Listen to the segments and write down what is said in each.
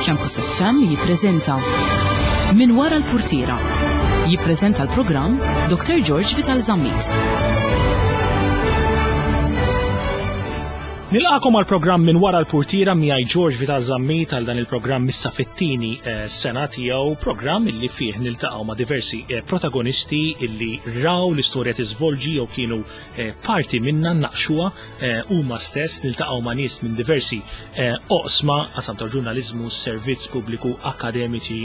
Campus FM jippreżenta Min wara l-purtiera. Jippreżenta l-programm Dr. George Vital Zammit. Nilqakom għal programm minn wara l-purtiera miegħi George Vital Zammit għal dan il-programm issa fit-tieni eh, sena tiegħu, programm illi fih niltaqgħu ma' diversi eh, protagonisti illi raw l-istorja tiżvolġi jew kienu eh, parti minna naqxuha huma stess niltaqgħu ma' nies minn diversi oqsma, qasam ta' ġurnaliżmu, servizz pubbliku, akademiċi,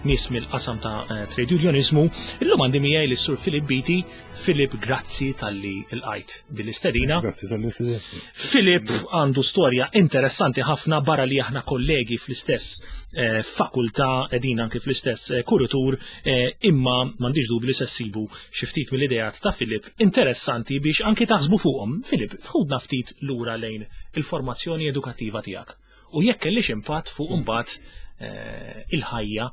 nies mill-qasam ta' trade unionizmu. Illum għandi miegħi lis-Sur Filip Biti Filip, grazzi talli lqajt din l-istedina. Grazzi talli istedina. Filip għandu storja interessanti ħafna barra li aħna kollegi fl-istess eh, fakultà qegħdin anke fl-istess eh, kuritur eh, imma m'għandix dubju li se ssibu xi ftit mill-ideat ta' Filip interessanti biex anki taħsbu fuqhom. Filip, tħudna ftit lura lejn il-formazzjoni edukattiva tiegħek u jekk kellix impatt fuq imbagħad il-ħajja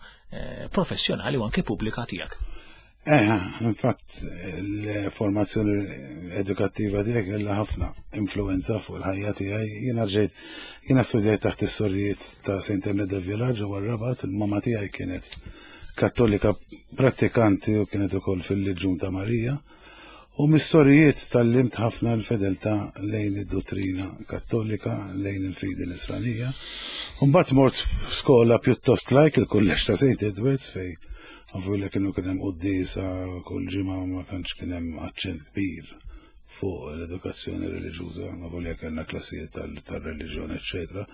professjonali u anke pubblika tiegħek. Eh, infatti, l-formazzjoni edukattiva tiegħi kellha ħafna influenza fuq il-ħajja tiegħi. Jiena ġejt, jiena studjajt taħt is-sorijiet ta' St. Anne de Villa ġewwa r-Rabat, il-mama tiegħi kienet kattolika prattikanti u kienet ukoll fil-Leġjun ta' Marija. U mis-sorijiet tgħallimt ħafna l-fedeltà lejn id-duttrina Kattolika, lejn il-fidi Nisranija. U mbagħad mort skola pjuttost lajk, il-Kulleġġ ta' St. Edwards fejn avolja kienu kien hemm quddiesa kull ġimgħa ma tantx kien hemm aċċent kbir fuq l-edukazzjoni reliġjuża, avolja kellna klassijiet tal-reliġjon, eċċetera.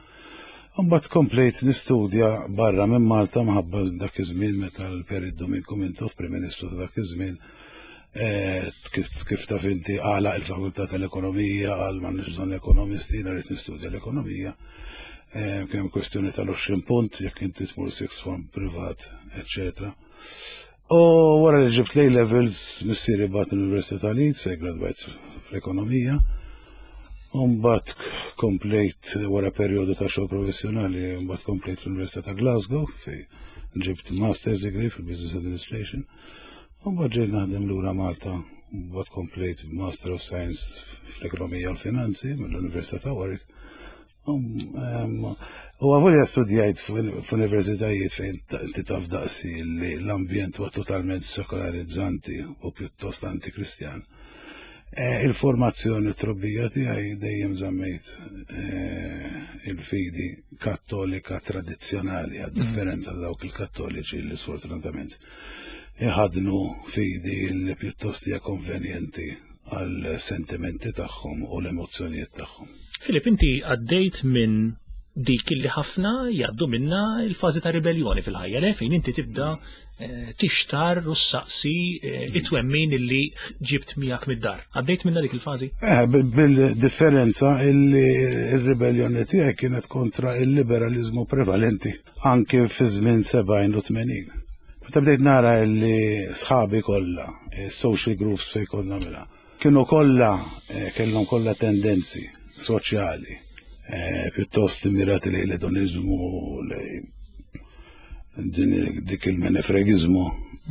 Mbagħad komplejt nistudja barra minn Malta mħabba dak iż-żmien meta l-Perit Duminku Mintoff, Prim Ministru ta' dak iż-żmien, eh, kif taf inti għalaq il-Fakultà tal-Ekonomija, qal m'għandniex bżonn ekonomisti, jiena rrid nistudja l-ekonomija. Eh, kien hemm kwestjoni tal-20 punt jekk inti tmur sixth form privat, eċċetera. U wara li ġibt l levels missieri bagħat l-Università ta' Leeds fejn gradwajt fl-ekonomija. U mbagħad komplejt wara perjodu ta' xogħol professjonali, mbagħad komplejt fl-Università ta' Glasgow fejn ġibt Master's degree fil-Business Administration. U mbagħad ġejt naħdem lura Malta, mbagħad komplejt Master of Science fl-Ekonomija u l-Finanzi mill-Università ta' Warwick. U għavolja studjajt f'universitajiet fejn inti taf daqsi li l-ambjent huwa totalment sekolarizzanti u pjuttost antikristjan. E, il-formazzjoni u trobbija tiegħi dejjem żammejt e, il-fidi kattolika tradizzjonali, għad differenza ta' dawk il-kattoliċi li sfortunatament iħadnu fidi li pjuttost hija konvenjenti għal sentimenti tagħhom u l-emozzjonijiet tagħhom. Filip, inti għaddejt minn dik li ħafna jgħaddu minna il-fażi ta' ribellioni fil-ħajja, le fejn inti tibda eh, tixtar u saqsi eh, it-twemmin illi ġibt miegħek mid-dar. Għaddejt minna dik il-fażi? Eh, bil-differenza illi il-ribellioni tiegħi kienet kontra il-liberalizmu prevalenti anke fi żmien 70 u 80. Meta bdejt nara illi sħabi kollha, eh, social groups fejn konna mela, kienu kollha eh, kellhom kollha tendenzi soċjali eh, pjuttost mirati lejn l-edonizmu, lejn dik il-menefregizmu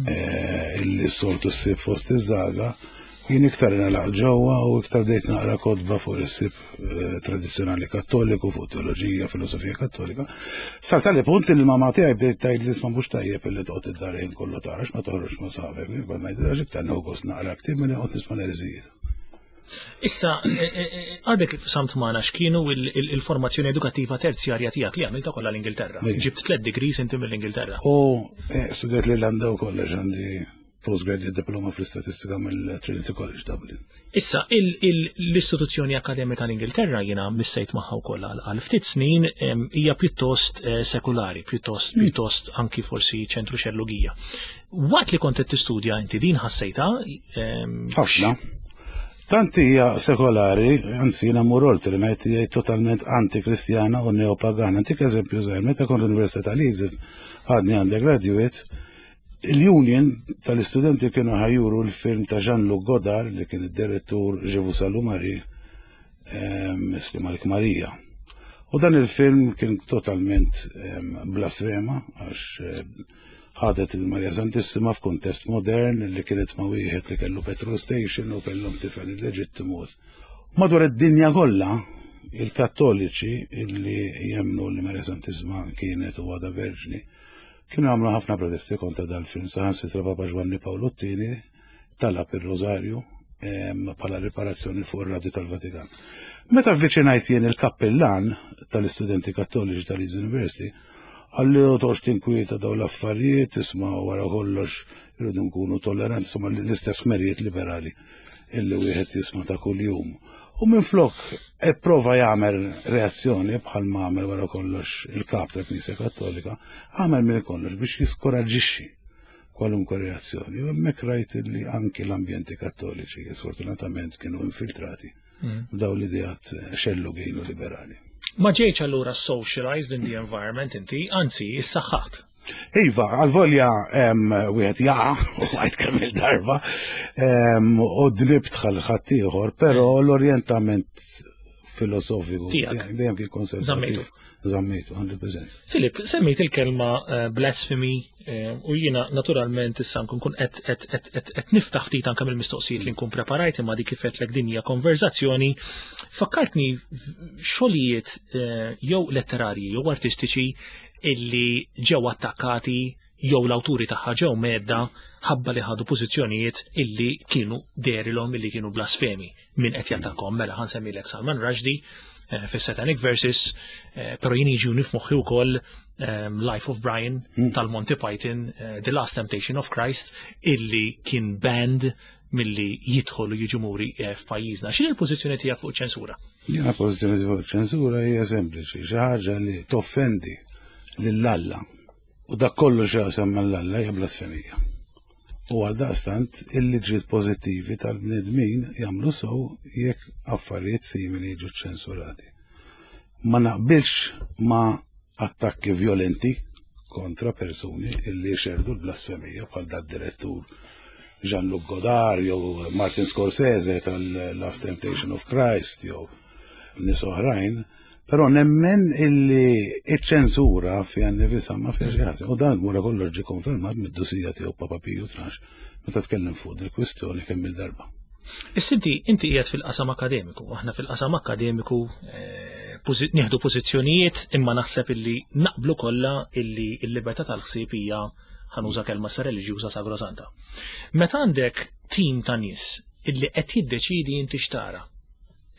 eh, illi s-soltu ssib fost iż-żgħażagħ, jien iktar nalaq ġewwa u iktar bdejt naqra kotba fuq is-sib eh, tradizzjonali kattoliku, fuq teoloġija, filosofija kattolika. Sar tali punt li mamma tiegħi bdejt tgħid li isma' mhux tajjeb illi toqgħod id-dar ħin kollu tarax ma toħroġ ma' sħabek. Jien kont ngħid għax iktar nieħu gost naqra ktieb milli noqgħod nisma' l-erżijiet. Issa, eh, eh, għadek kif samt magħna x'kienu il-formazzjoni edukattiva terzjarja tiegħek li għamilta kollha l-Ingilterra. Ġibt tliet degrees inti mill-Ingilterra. U studjat l-Irlanda wkoll għax għandi postgraduate diploma fl-istatistika mill-Trinity College Dublin. Issa, l-istituzzjoni akademika l-Ingilterra jiena missejt magħha wkoll għal ftit snin hija pjuttost eh, sekulari, pjuttost hmm. pjuttost anki forsi ċentru xellugija. Waqt li kont qed tistudja inti din ħassejta? Ħafna. Tant hija sekolari, anzi jiena mmur oltre ngħid hija totalment antikristjana u neopagana. Ntik eżempju żgħir, meta kont l-Università ta' Leeds għadni undergraduate, Il-union tal-istudenti kienu ħa juru l-film ta' Jean-Luc Godard li kien id-direttur Je vous salue Marie, Isli Malik Marija. U dan il-film kien totalment blasfema għax ħadet il-Marija Santissima f'kuntest modern li kienet ma' wieħed li kellu petrol station u kellhom tifel illeġittimu. Madwar id-dinja kollha. Il-Kattoliċi illi jemmnu li Marija Santissima kienet u għadha verġni, kienu għamlu ħafna protesti kontra dal-film, saħansitra Papa Ġwanni Pawlu t-tieni talab ir-Rożarju bħala riparazzjoni fuq ir-Radju tal-Vatikan. Meta avviċinajt jien il-kappillan tal-istudenti kattoliċi tal-Leeds University, għalli u toqgħodx tinkwieta dawn l-affarijiet, isma' wara kollox irridu nkunu tolleranti, insomma l-istess merijiet liberali illi wieħed jisma' ta' kuljum. U minflok ipprova jagħmel reazzjoni bħal ma għamel wara kollox il-kap tal-Knisja Kattolika, għamel minn kollox biex jiskoraġġixxi kwalunkwe reazzjoni. U hemmhekk rajt li anki l-ambjenti kattoliċi sfortunatament kienu infiltrati mm. daw l-ideat xellugin u liberali. Ma ġejċ allura socialized in the environment inti, anzi, issaħħaħt. Iva, għal-volja wieħed jaqa' u għajt kemm il-darba u dnibt ħaddieħor, però l-orjentament filosofiku dejjem kien konservativ. Zammejtu, 100%. Filip, semmejt il-kelma eh, blasphemy eh, u jiena naturalment issa nkun kun qed niftaħ ftit anke mill-mistoqsijiet li nkun preparajt imma dik kif qedlek din hija konverzazzjoni. Fakkartni xogħlijiet eh, jew letterarji jew artistiċi illi ġew attakkati jew l-awturi tagħha ġew medda ħabba li ħadu pożizzjonijiet illi kienu derilhom illi kienu blasfemi min qed jattakkom mela ħansemmilek Salman Rushdie eh, fis-Satanic Verses, eh, però jien jiġu nifmoħħi wkoll ehm, Life of Brian hmm. tal-Monty Python, eh, The Last Temptation of Christ, illi kien banned milli jidħol u jiġu muri f'pajjiżna. X'inhi l-pożizzjoni tiegħek fuq ċensura? Jiena pożizzjoni fuq ċensura hija sempliċi, xi ħaġa li toffendi lil Alla u dak kollu x'jaqsam mal-Alla hija blasfemija. U għal daqstant il-liġijiet pożittivi tal-bnedmin jagħmlu sew jekk affarijiet simili jiġu ċensurati. Ma naqbilx ma' attakki violenti kontra persuni illi xerdu l-blasfemija bħal dat direttur Jean-Luc Godard jew Martin Scorsese tal-Last Temptation of Christ jew nies oħrajn, però nemmen illi iċ-ċensura fiha nnifisha ma fiha xi ħażin. U dan wara kollox ġie konfermat mid-dusija tiegħu Papa Piju 12 meta tkellem fuq dil-kwistjoni kemm il-darba. Issa inti inti qiegħed fil-qasam akademiku, aħna fil-qasam akademiku eh, nieħdu pożizzjonijiet imma naħseb illi naqblu kollha illi l-libertà tal-ħsieb hija ħanuża kelma sa reliġjuża sagrosanta. Meta għandek tim ta' nies illi qed jiddeċidi inti xtara,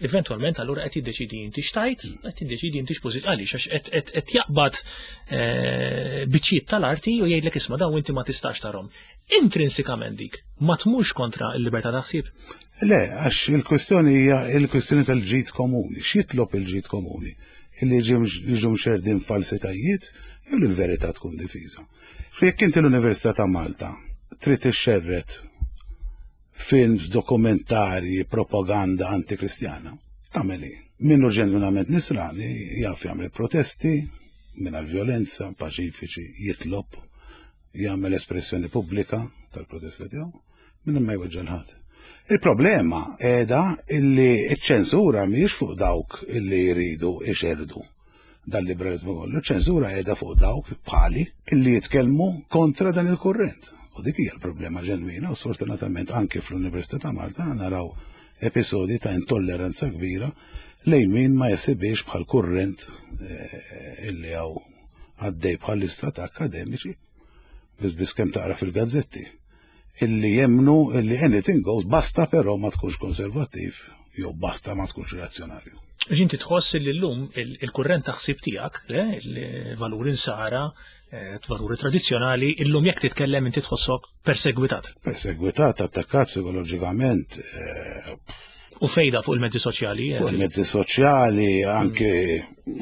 Eventualment allura qed jiddeċidi inti xtajt, qed jiddeċidi inti x'pożit għaliex għax qed jaqbad eh, biċċiet tal-arti u jgħidlek isma' dawn inti ma tistax tarhom. Intrinsikament dik ma tmurx kontra l-libertà ta' ħsieb. Le, għax il-kwestjoni hija il-kwestjoni tal-ġid komuni. X'jitlob il-ġid komuni? Illi jiġu mxerdin falsitajiet jew li l-verità tkun difiża. Jekk inti l-Università ta' Malta trid ixxerred films, dokumentarji, propaganda antikristjana. Tagħmel hi. Min hu ġenwinament nisrani jaf jagħmel protesti mingħajr violenza, paċifiċi, jitlob, jagħmel espressjoni pubblika tal-protesta tiegħu minn ma jweġġa' ħadd. Il-problema qiegħda illi ċ-ċensura mhijiex fuq dawk illi jridu ixerdu dal-liberalizmu kollu, ċensura qiegħda fuq dawk bħali illi jitkellmu kontra dan il-kurrent. U dik hija l-problema ġenwina u sfortunatament anke fl-Università ta' Malta naraw episodi ta' intolleranza kbira lejn min ma jesibix bħal kurrent eh, illi hawn għaddej bħal-lista ta' akademiċi biss biss kemm taqra fil-gazzetti illi jemnu illi anything goes basta però ma tkunx konservattiv jew basta ma tkunx reazzjonarju. Ġinti tħoss li llum il-kurrent ta' ħsieb tiegħek, il-valuri nsara, eh, valuri tradizzjonali, illum jekk titkellem inti tħossok persegwitat. Persegwitat, attakkat psikoloġikament. Eh, U fejda fuq il-mezzi soċjali. Eh? Fuq il-mezzi soċjali, anke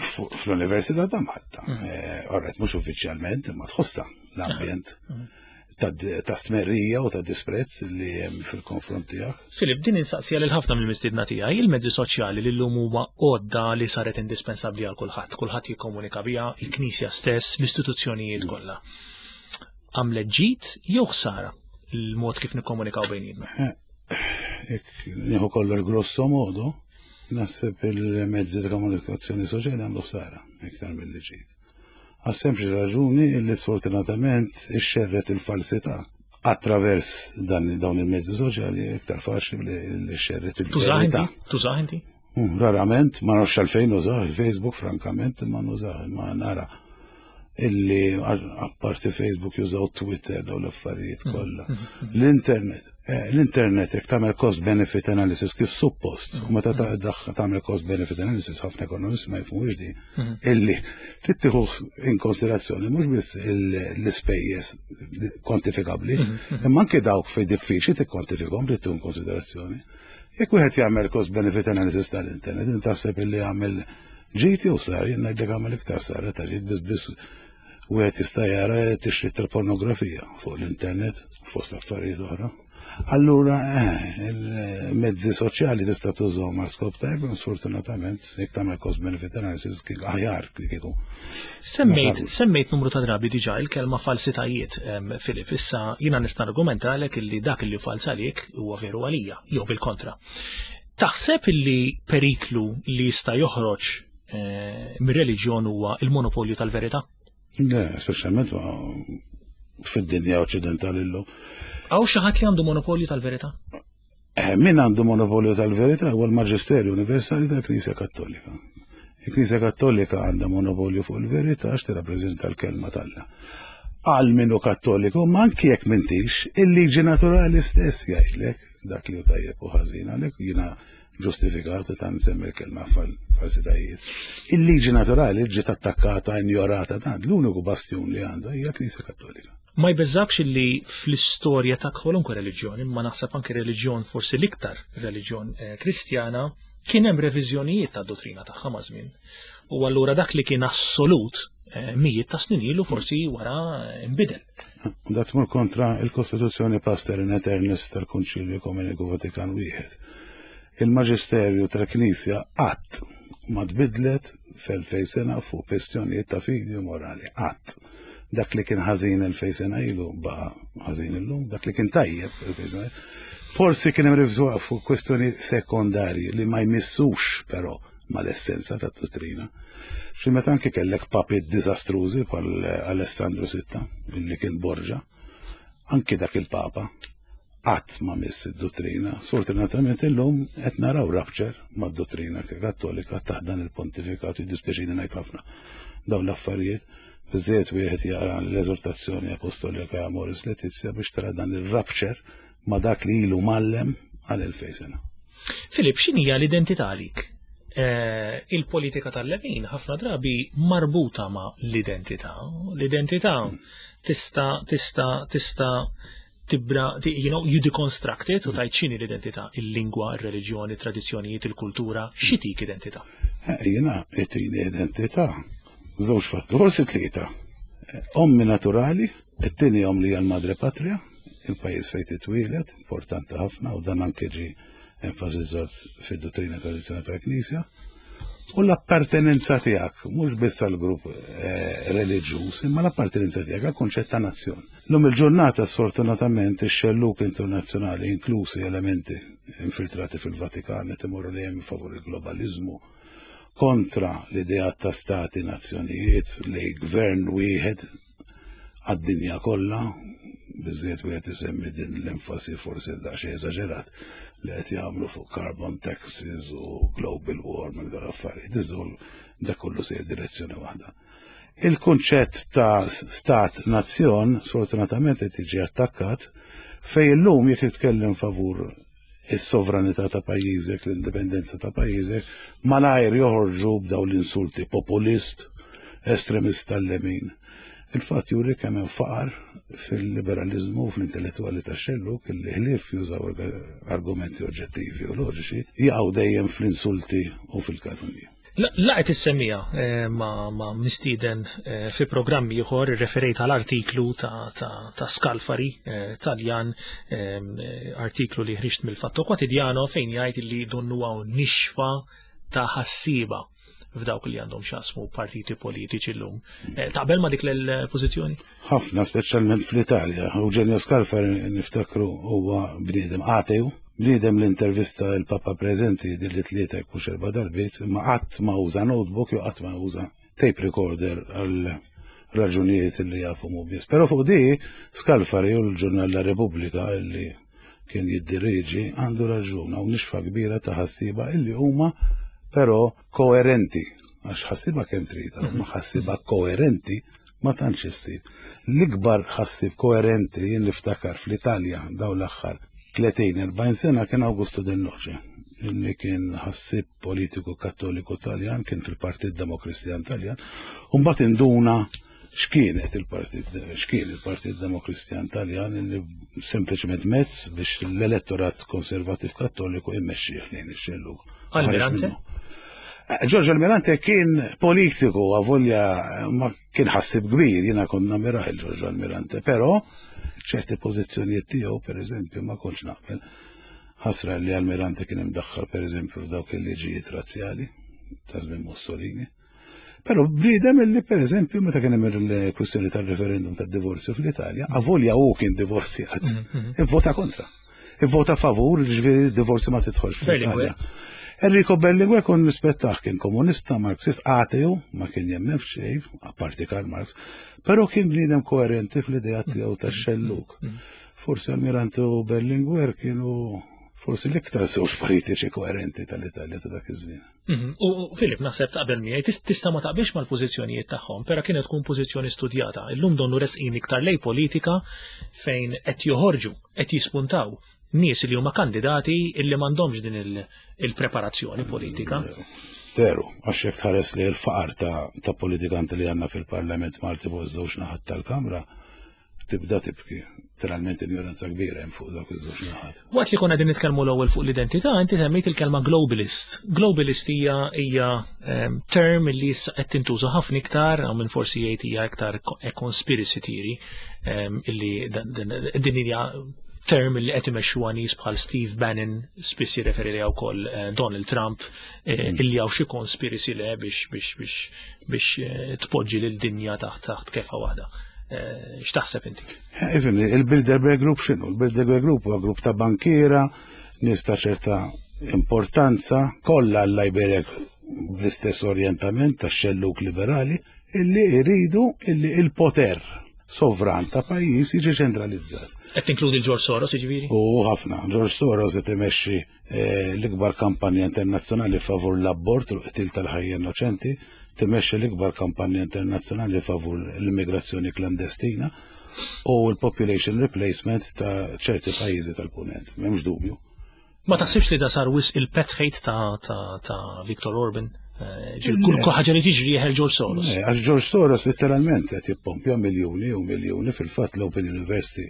fl-Università ta' Malta. Mm. Orret, mhux uffiċjalment, imma tħossha l-ambjent. Mm. Ta' stmerrija u ta' disprezz li hemm fil-konfront tiegħek. Filip, din insaqsija lil ħafna mill-mistiedna tiegħi, il-mezzi soċjali li llum huma għodda li saret indispensabbli għal kulħadd, kulħadd jikkomunika biha, il-Knisja stess, l-istituzzjonijiet mm. kollha. Għamlet ġid jew ħsara l-mod kif nikkomunikaw bejnietna? Eh, jekk nieħu kollox grosso modo, naħseb il-mezzi ta' komunikazzjoni soċjali għamlu ħsara iktar mill-li ġid. Għas-sempliċi raġuni li sfortunatament ixxerred il-falsità attravers dan dawn il-mezzi soċjali iktar faċli li xerred il-verità. Tużah inti? Rarament, ma nafx għalfejn nużah il-Facebook, frankament, ma nużah, ma nara illi apparti Facebook jużaw Twitter daw l-affarijiet mm. kollha. Mm, mm, L-internet, eh, l-internet jekk tagħmel cost benefit analysis kif suppost, u meta tagħmel cost benefit analysis ħafna ekonomisti ma jifhmux di, illi trid tieħu in konsiderazzjoni mhux biss l-ispejjeż kwantifikabbli, imma anke dawk fejn diffiċli tikkwantifikhom trid tieħu in konsiderazzjoni. Jekk wieħed jagħmel cost benefit analysis tal-internet, inti taħseb illi jagħmel ġid jew sar, jien ngħidlek għamel iktar sar ta' ġid biss biss wieħed jista' jara tixrid tal-pornografija fuq l-internet fost affarijiet oħra. Allura, eh, il-mezzi soċjali tista' tużhom għal skop tajb, sfortunatament, jekk tagħmel cost benefit analysis kien aħjar kieku. Semmejt, semmejt numru ta' drabi diġà il-kelma falsitajiet, Filip, issa jiena nista' argumentalek illi dak li fals għalik huwa veru għalija, jew bil-kontra. Taħseb illi periklu li jista' joħroġ eh, mir-reliġjon huwa il-monopolju tal-verità? Le, speċjalment fid-dinja oċċidentali llum. Hawn xi ħadd li għandu monopolju tal-verità? Eh, min għandu monopolju tal-verità huwa l-Maġisterju Universali tal-Knisja Kattolika. Il-Knisja Kattolika għandha monopolju fuq il-verità għax tirrappreżenta l-kelma t'Alla. Għal minu kattoliku, ma anki jekk m'intix, il-liġi naturali stess jgħidlek dak li hu tajjeb u ħażin għalhekk jiena ġustifikat ta' nsemmi l-kelma falsitajiet. Il-liġi naturali ġiet attakkata, injorata, tant l-uniku bastjun li għandha hija Knisja Kattolika. Ma jbeżżakx li fl-istorja ta' kwalunkwe reliġjon, imma naħseb anke reliġjon forsi l-iktar reliġjon eh, Kristjana, kien hemm reviżjonijiet ta' dottrina tagħha ma' żmien. U allura dak li kien assolut eh, mijiet ta' snin ilu forsi wara eh, nbidel. Da tmur kontra il-Kostituzzjoni Pastor in Aeternis tal-Konċilju Ekumeniku Vatikan wieħed. Il-Maġisterju tal-Knisja qatt ma tbidlet f'elfej sena fuq kwestjonijiet ta' fidi u morali. Qatt. Dak li kien ħażin 2000 sena ilu baqa' ħażin illum, dak li kien tajjeb 2000 sena. Forsi kien hemm revizjoni fuq kwestjoni sekondarji li ma jmissux però mal-essenza tat-dottrina. Xi meta anke kellek papi diżastrużi bħal Alessandro Sitta, li kien Borġa, anke dak il-papa qatt ma miss id-dottrina. Sfortunatament illum qed naraw rapture mad-dottrina Kattolika taħt dan il-pontifikat, jiddispjaċini ngħid ħafna dawn l-affarijiet. Biżżejjed wieħed jaqra l-eżortazzjoni apostolika Amoris Laetitia biex tara dan ir-rapture ma' dak li ilu mgħallem għal 2000 sena. Filip, x'inhija l-identità għalik? Eh, il-politika tal-lemin ħafna drabi marbuta ma' l-identità. L-identità tista' tista' tista' tibra, you know, you deconstruct it u tajt x'inhi l-identità, il-lingwa, il-reliġjoni, tradizzjonijiet, il-kultura, x'itik identità? Eh, jiena itini identità, żewġ fattur, forsi tlieta. Eh, ommi naturali, it-tieni om li hija l-madre patria, il-pajjiż fejn titwielet, importanti ħafna u dan anke ġi enfasizzat fid-dottrina tradizzjonali tal-Knisja, u l-appartenenza tiegħek, mhux biss għal grupp eh, reliġjuż, imma l-appartenenza tiegħek għal kunċett ta' nazzjon. Lum il-ġurnata sfortunatament ix-xelluk internazzjonali inklusi elementi infiltrati fil-Vatikan qed imorru li hemm favur il-globaliżmu kontra l-idea ta' stati nazzjonijiet li gvern wieħed għad-dinja kollha, biżżejjed wieħed isemmi din l-enfasi forsi daqsxejn eżaġerat li qed jagħmlu fuq carbon taxes u global warming dawn l-affarijiet. Iżda dak kollu sejr direzzjoni waħda. Il-kunċett ta' stat nazzjon sfortunatament qed jiġi attakkat fejn illum jekk titkellem favur is-sovranità ta' pajjiżek, l-indipendenza ta' pajjiżek, malajr joħorġu b'dawn l-insulti populist, estremist tal-lemin. Il-fatt juri kemm hemm faqar fil-liberalizmu u fl-intellettwali tax-xellug illi ħlief jużaw argumenti oġġettivi u loġiċi jaqgħu dejjem fl-insulti u fil-kalunji. La qed issemmija eh, ma, ma mistieden eh, fi programm ieħor irreferejt għal artiklu ta', ta, ta Scalfari eh, Taljan artiklu li ħriġt mill-Fatto Quotidiano fejn jgħid li donnu hawn nixfa ta' ħassiba f'dawk li għandhom xasmu partiti politiċi llum. Taqbel ma dik l-pożizzjoni? Ħafna, speċjalment fl-Italja. Eugenio Scalfari niftakru huwa bniedem atew Bniedem li intervista l-Papa preżenti jidhirli tlieta jekk mhux erba' darbiet, imma qatt ma uża notebook jew qatt ma uża tape recorder għal raġunijiet li jafhom hu biss. Però fuq di Scalfari u l-ġurnal La Repubblica li kien jiddirieġi għandu raġun hawn nixfa kbira ta' ħassieba illi huma però koerenti, għax ħassiba kemm trid, ma ħassiba koerenti ma tantx issib. L-ikbar ħassib koerenti jien niftakar fl-Italja daw l-aħħar 30-40 sena kien Augusto Del Noce, li kien ħassib politiku kattoliku Taljan, kien fil-Partit Demokristjan Taljan, u mbagħad induna x'kienet il-Partit x'kien il-Partit Demokristjan Taljan li sempliċement mezz biex l-elettorat konservativ kattoliku jmexxih lejn ix-xellug. Almirante? Eh, Giorgio Almirante kien politiku avolja ma kien ħassib kbir, jiena kont namiraħ il-Giorgio Almirante, però ċerti pożizzjonijiet tiegħu pereżempju ma kontx naqbel. Ħasra li Almirante kien imdaħħal pereżempju f'dawk il-liġijiet razzjali ta' żmien Mussolini. Però bniedem illi pereżempju meta kien hemm il-kwistjoni tar-referendum tad-divorzju fl-Italja, avolja hu kien divorzjat, mhm. ivvota kontra. Ivvota favur, ġifieri d-divorzju ma tidħolx fl-Italja. Enrico Berlinguer kon rispettaħ kien komunista, marxist, ateu, ma kien jemmen f'xejn, apparti Karl Marx, però kien bniedem koerenti fl-idea tiegħu tax-xelluk. Mhm. Forsi Almirante u Berlinguer kienu forsi l-iktar żewġ politiċi koerenti tal-Italja ta' dak iż-żmien. Mhm. U Filip, naħseb taqbel miegħi, tista' ma taqbilx mal-pożizzjonijiet tagħhom, però kienet tkun pożizzjoni studjata. Illum donnu resqin iktar lej politika fejn qed joħorġu, qed jispuntaw nies li huma kandidati illi m'għandhomx din il-preparazzjoni politika. Veru, għax jekk tħares li l-faqar ta' politikanti li għandna fil-Parlament Malti fuq iż-żewġ naħat tal-Kamra, tibda tibki. Literalment injoranza kbira hemm fuq dawk iż-żewġ naħat. Waqt li konna qegħdin nitkellmu l-ewwel fuq l-identità, inti semmejt il-kelma globalist. Globalist hija hija ehm, term li issa qed tintuża ħafna iktar, hawn min forsi jgħid hija iktar conspiracy theory, ehm, illi din hija term li qed imexxuha nies bħal Steve Bannon, spiss jirreferi li wkoll eh, Donald Trump, eh, mm. illi hawn xi conspiracy le biex biex biex biex eh, tpoġġi lil dinja taħt taħt kefa waħda. Eh, x'taħseb inti? Eh, ifimni, il-Bilderberg Group x'inhu? Il-Bilderberg Group huwa grupp ta' bankiera, nies ta' ċerta importanza, kollha l-Liberia bl-istess orjentament ta' xelluk liberali, illi jridu illi il-poter sovran ta' pajjiż jiġi ċentralizzat. Qed tinkludi l-George Soros, jiġifieri? U ħafna, George Soros qed imexxi eh, l-ikbar kampanja internazzjonali favur l-abort u l-qtil tal-ħajja innoċenti, timexxi l-ikbar kampanja internazzjonali favur l-immigrazzjoni klandestina u l-population replacement ta' ċerti pajjiżi tal-punent, m'hemmx dubju. Ma taħsibx li da sar wisq il-pet hate ta', ta, ta Viktor Orban? Eh, kull ħaġa li tiġri jeħel George Soros. Eh, għax George Soros letteralment qed jippompja miljuni u miljuni fil-fatt l-Open University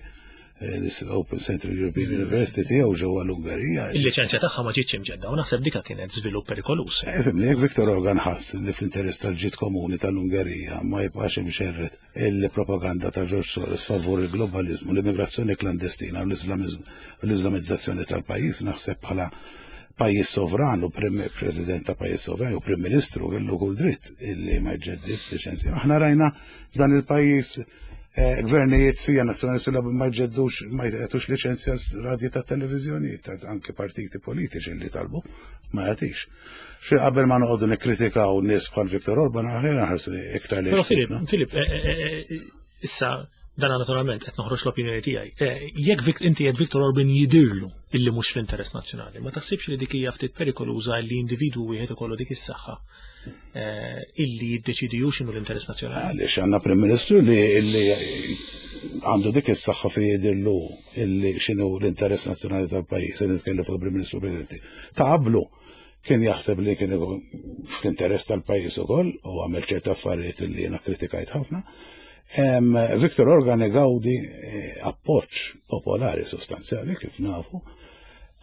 Eh, l-Open Central European University tiegħu ġewwa l-Ungerija. Il-liċenzja tagħha ma ġietx imġedda u naħseb dika kienet żvilupp perikoluż. Eh, fimni, jekk Viktor Orban ħass li fl-interess tal-ġid komuni tal-Ungerija ma jibqax imxerred il-propaganda ta' George Soros favur il-globalizmu, l-immigrazzjoni klandestina u l-Islamizzazzjoni tal-pajjiż naħseb bħala pajjiż sovran u president ta' pajjiż sovran u prim ministru kellu kull dritt illi ma jġeddid liċenzja. Aħna rajna f'dan il-pajjiż Eh, gvernijiet sija nazzjonalisti li ma jġeddux ma jgħetux liċenzja radji ta' televizjoni, ta' anke partiti politiċi li talbu, ma jagħtix. Xi qabel ma noqogħdu nikkritikaw nies bħal Viktor Orban aħjar naħarsu iktar li. Però Filip, Filip, eh, eh, issa dan naturalment qed noħroġ l-opinjoni tiegħi. Jekk inti qed Viktor Orban jidirlu illi mhux fl-interess nazzjonali, ma taħsibx li dik hija ftit perikoluża li individwu wieħed ikollu dik is-saħħa Eh, illi jiddeċidi hu x'inhu l-interess nazzjonali. Għaliex għandna Prim Ministru li illi għandu dik is-saħħa fi jidillu illi x'inhu l-interess nazzjonali tal-pajjiż, se nitkellem fuq il-Prim Ministru Presidenti. Ta' qablu kien jaħseb li kien fl-interess tal-pajjiż ukoll u għamel ċerta affarijiet li jiena kritikajt ħafna. Viktor Organ igawdi eh, appoġġ popolari sostanzjali kif nafu.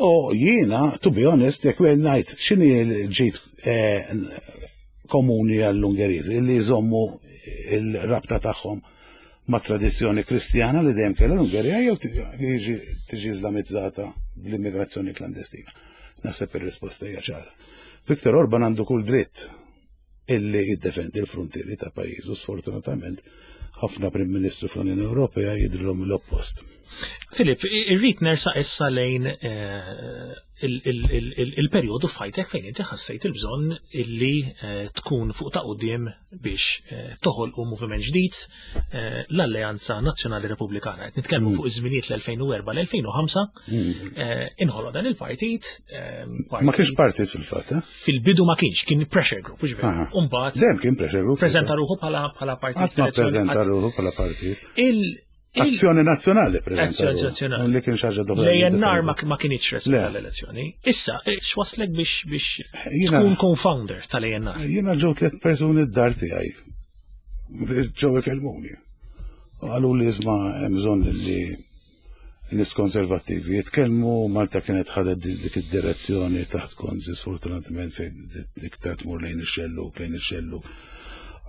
U jiena, to be honest, jekk wieħed ngħid x'inhi l-ġid eh, komuni għall-Ungeriżi li jżommu il-rabta tagħhom ma' tradizzjoni kristjana li dejjem kellha l-Ungerija jew tiġi tiġi iżlamizzata bl-immigrazzjoni klandestina. Naħseb ir-risposta hija ċara. Viktor Orban għandu kull dritt illi jiddefendi l-fruntieri ta' pajjiżu sfortunatament ħafna Prim Ministru fl-Unjoni Ewropea jidrilhom l-oppost. Filip, irrid nersaq issa lejn eh, il-perjodu f'ħajtek fejn inti ħassejt il-bżonn illi eh, tkun fuq ta' quddiem biex eh, toħolqu moviment ġdid l-Alleanza Nazzjonali Repubblikana. Qed nitkellmu mm. fuq iż-żminijiet l-2004 l-2005 mm. inħoloq dan il-partit. Ma kienx partit fil-fatt, eh? Fil-bidu ma kienx, kien pressure group, mhux veru. Umbagħad. Dejjem kien pressure group. Preżenta ruħu bħala partit. Qatt ma preżenta ruħu bħala partit. Azzjoni nazzjonali, preżenta. Azzjoni nazzjonali. Li kien xaġa doppja. L-ANR ma kienx resqa tal-elezzjoni. Issa, eh, x'waslek biex biex tkun co-founder tal-ANR? Jiena ġew tliet persuni d-dar tiegħi. Ġew ikellmuni. Qalu li isma' hemm bżonn li nies konservattivi jitkellmu, Malta kienet ħadet dik id-direzzjoni taħt Gonzi sfortunatament fejn iktar tmur lejn ix-xellug, lejn ix-xellug.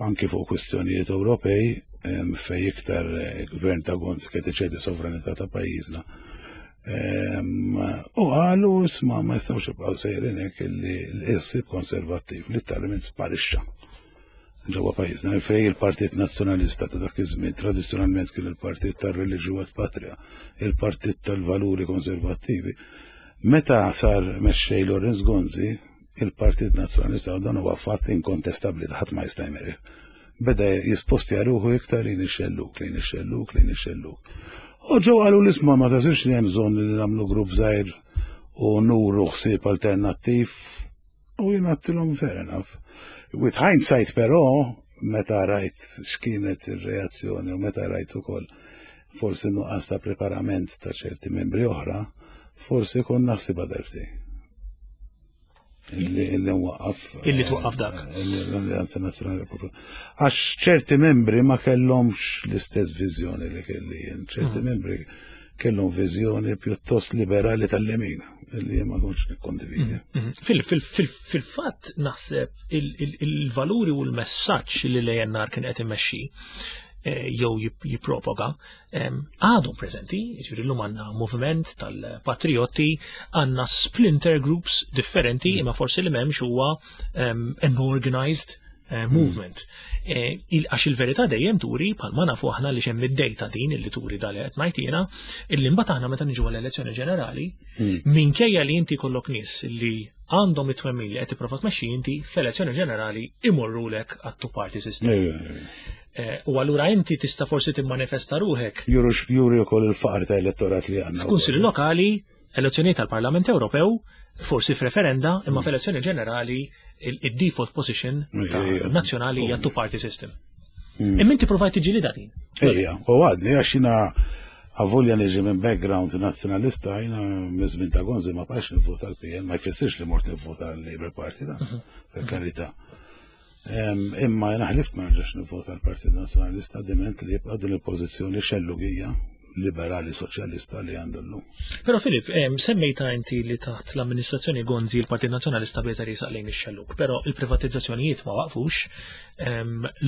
Anki fuq kwistjonijiet Ewropej fej iktar eh, gvern ta' Gonzi kien iċedi sovranità ta' pajjiżna. U qalu isma' ma jistgħux jibqgħu sejrin hekk illi l-issib konservattiv literalment sparixxa ġewwa pajjiżna fejn il-Partit Nazzjonalista ta' dak iż-żmien tradizzjonalment kien il-partit tar-reliġju et patria, il-partit tal-valuri konservattivi. Meta sar mexxej Lawrence Gonzi, il-Partit Nazzjonalista u dan huwa fatt inkontestabbli ta' ħadd ma jista' jmerih. Beda jispostja ruħu iktar lejn ix-xellug, lejn ix-xellug, lejn ix-xellug. U ġew qalu l-isma ma tażilx li hemm bżonn li nagħmlu grupp żgħir u nuru ħsieb alternattiv U jien għattilhom fair enough. With hindsight però, meta rajt x'kienet ir-reazzjoni u meta rajt ukoll forsi nuqqas ta' preparament ta' ċerti membri oħra, forsi kon naħsibha darbtejn. Illi illi waqqaf. Illi twaqqaf dak. Eh, L-Alleanza Nazzjonali Repubblika. Għax ċerti membri ma kellhomx l-istess viżjoni li kelli jien. ċerti mm. membri kellhom viżjoni pjuttost liberali tal-lemin li ma kontx nikkondividi. Mm, mm. Fil-fatt naħseb il-valuri u l-messaġġ li l-ANR kien qed imexxi eh, jew jippropaga għadhom preżenti, jiġifieri llum għandna moviment tal-patrioti, għandna splinter groups differenti, mm. imma forsi li m'hemmx huwa an organized eh, movement. Eh, għax il-verità dejjem turi bħalma nafu aħna li xemm id-dejta din illi turi dal qed ngħid jiena, illi mbagħad aħna meta niġu għall-elezzjoni ġenerali, hmm. minkejja li inti kollok nies li għandhom it-twemmin li qed tipprova tmexxi inti fl-elezzjoni ġenerali imorrulek għat-two party system. Eh, u allura inti tista' forsi timmanifesta ruħek. Juru x'juri wkoll il-faqar ta' elettorat li għandna. F'kunsilli lokali Elezzjonijiet tal-Parlament Ewropew, forsi f'referenda, imma mm. f'elezzjoni ġenerali il-default position nazzjonali hija two-party system. Mm. Imma inti provajt tiġi din. Ejja, u għadni għax jina għavolja niġi minn background nazzjonalista, jina mizmin ta' Gonzi ma bqax nivvota l-PN, ma jfissirx li mort nivvota l-Labour Party, da, mhm. per karità. Imma jena ħlift ma nerġax nivvota l-Partit Nazzjonalista diment li jibqa' din il-pożizzjoni xellugija liberali soċjalista li għandu llum. Però Filip, semmejta inti li taħt l-amministrazzjoni Gonzi l-Partit Nazzjonalista beda jisaq lejn ix-xellug, però il-privatizzazzjonijiet ma waqfux,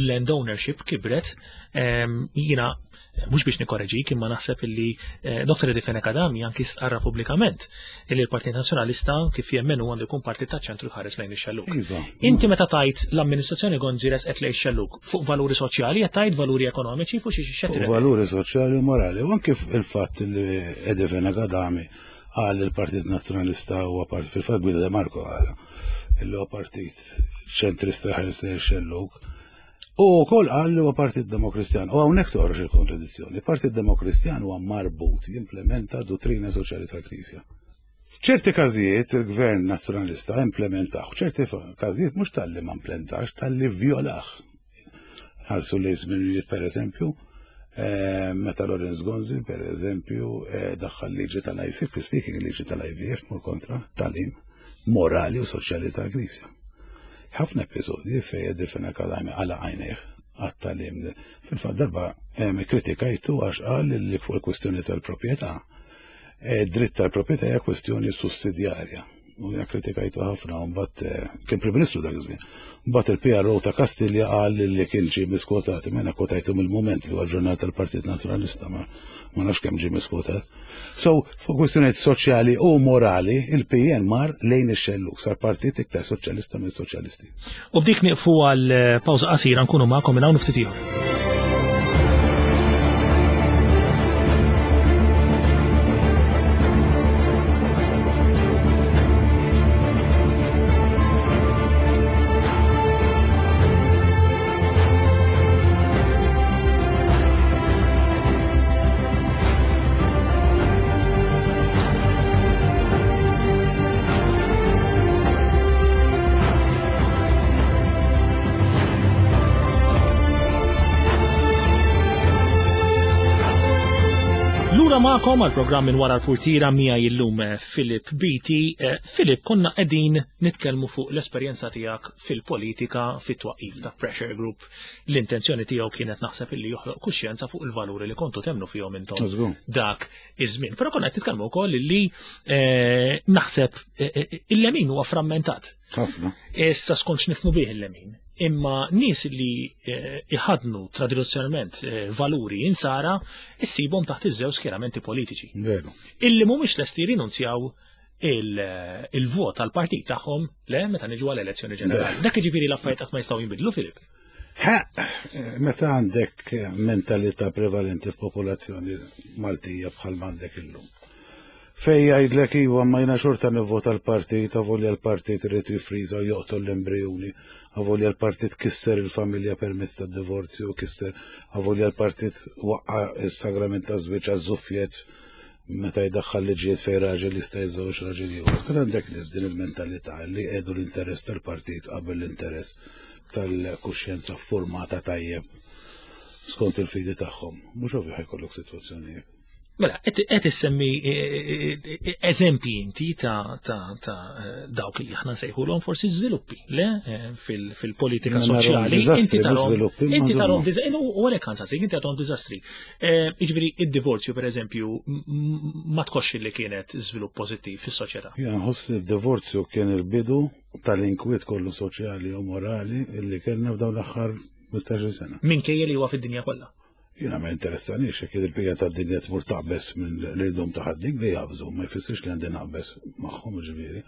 land ownership kibret, jiena mhux biex nikorreġik imma naħseb illi eh, Dr. Eddie Fenech Adami anki stqarra pubblikament illi l-Partit Nazzjonalista kif jemmen hu għandu jkun partit ta' ċentru jħares lejn ix-xellug. Iva. Inti meta tajt l-amministrazzjoni Gonzi resqet lejn ix-xellug fuq valuri soċjali qed tajt valuri ekonomiċi fuq xi xi Valuri soċjali u morali. U anke il-fatt li Eddie Fenech Adami qal il-Partit Nazzjonalista huwa partit fil-fatt Guido De Marco qal illi huwa partit ċentrista ħares lejn ix-xellug. U wkoll qal li huwa Partit Demokristjan. U hawnhekk toħroġ il-kontradizzjoni. Partit Demokristjan huwa marbut jimplementa dottrina soċjali tal-Knisja. F'ċerti każijiet il-Gvern Nazzjonalista implementaħ, f'ċerti każijiet mhux talli ma implementax, talli vjolah. Ħarsu li żminijiet pereżempju, eh, meta Lorenz Gonzi, per eżempju, eh, daħħal liġi tal-ICF, speaking liġi tal-IVF, mur kontra talim morali u soċjali tal-Knisja. Ħafna episodji fejn Eddie Fenech Adami għalaq għajnejh għat-tagħlim. Fil-fatt darba kritikajtu għax qal li fuq il-kwistjoni tal-proprjetà, eh, dritt tal-proprjetà hija kwistjoni sussidjarja. U jiena kritikajtu ħafna u mbagħad eh, kien Prim Ministru dak iż-żmien. Mbagħad il-PRO ta' Kastilja qal li kien ġie miskwotat, imma jiena kwotajtu mill-mument li huwa ġurnal tal-Partit Nazzjonalista ma nafx kemm ġie miskwotat. So, fuq kwistjonijiet soċjali u morali, il-PN mar lejn ix-xellug, sar partit iktar soċjalista minn soċjalisti. U b'dik nieqfu għal eh, pawża qasira nkunu magħkom minn hawn ftit ieħor. magħkom għal programm minn wara l-purtira miegħi illum eh, Philip Beatty. Eh, Philip, konna qegħdin nitkellmu fuq l-esperjenza tiegħek fil-politika fit-twaqif ta' Pressure Group. L-intenzjoni tiegħu kienet naħseb illi joħloq kuxjenza fuq il-valuri li kontu temnu fihom intom dak iż-żmien. Però konna qed titkellmu wkoll illi eh, naħseb il-lemin huwa frammentat. Ħafna. Issa skont x'nifhmu bih il-lemin. Imma nies li eh, iħadnu tradizzjonalment eh, valuri insara issibhom taħt iż-żewġ skjeramenti politiċi. Veru. Illi mhumiex lesti rinunzjaw eh, il-vot għal partit tagħhom le meta niġu għal elezzjoni ġenerali. Dak jiġifieri l-affarijiet qatt ma jistgħu jinbidlu Filip. Ha, meta għandek mentalità prevalenti f'popolazzjoni Maltija bħal m'għandek illum. Fejn jgħidlek iva ma jiena xorta nivvota l-partit, avolja l-partit irid jiffriża u joqtol l-embrijuni, avolja l-partit kisser il-familja permezz tad-divorzju, kisser, avolja l-partit waqqa' s-sagrament taż-żwieġ għaż-żuffjett meta jdaħħal liġijiet fejn raġel jista' jiżżewweġ raġel ieħor. Meta għandek nies b'din il-mentalità li jqiegħdu l-interess tal-partit qabel l-interess tal-kuxjenza ffurmata tajjeb skont il-fidi tagħhom, mhux ovvju ħa jkollok sitwazzjoni hekk. Mela, qed issemmi e, e, e, eżempji inti ta' dawk li aħna nsejħulhom forsi żviluppi, le fil-politika soċjali. Inti tarhom inti tarhom u għalhekk ħansaqsik, inti tarhom diżastri. Jiġifieri id-divorzju pereżempju ma tħossx li kienet żvilupp pożittiv fis-soċjetà. Jiena nħoss li d-divorzju kien il-bidu tal-inkwiet kollu soċjali u morali li kellna f'dawn l-aħħar 15-il sena. Minkejja li huwa fid-dinja kollha. Jiena ma jinteressanix jekk il-bqija tad-dinja tmur taqbeż minn l-irdum ta' ħaddik li jaqbżu, ma jfissirx li għandi naqbeż magħhom ġifieri.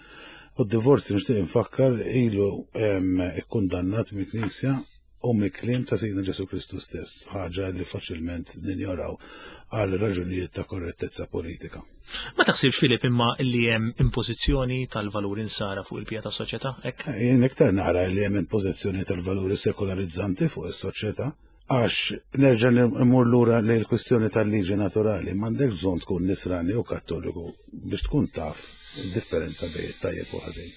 U d-divorzju nixtieq infakkar ilu ikkundannat mill-Knisja u mill-kliem ta' Sidna Ġesu Kristu stess, ħaġa li faċilment ninjoraw għal raġunijiet ta' korrettezza politika. Ma taħsibx Filip imma li hemm impożizzjoni tal-valuri nsara fuq il-pija tas-soċjetà hekk? Jien iktar nara li hemm impożizzjoni tal-valuri sekularizzanti fuq is-soċjetà Għax, nerġa' immur lura lejn il-kwistjoni tal-liġi naturali, m'għandekx bżonn tkun Nisrani jew Kattoliku biex tkun taf id-differenza bejn it-tajjeb u ħażin.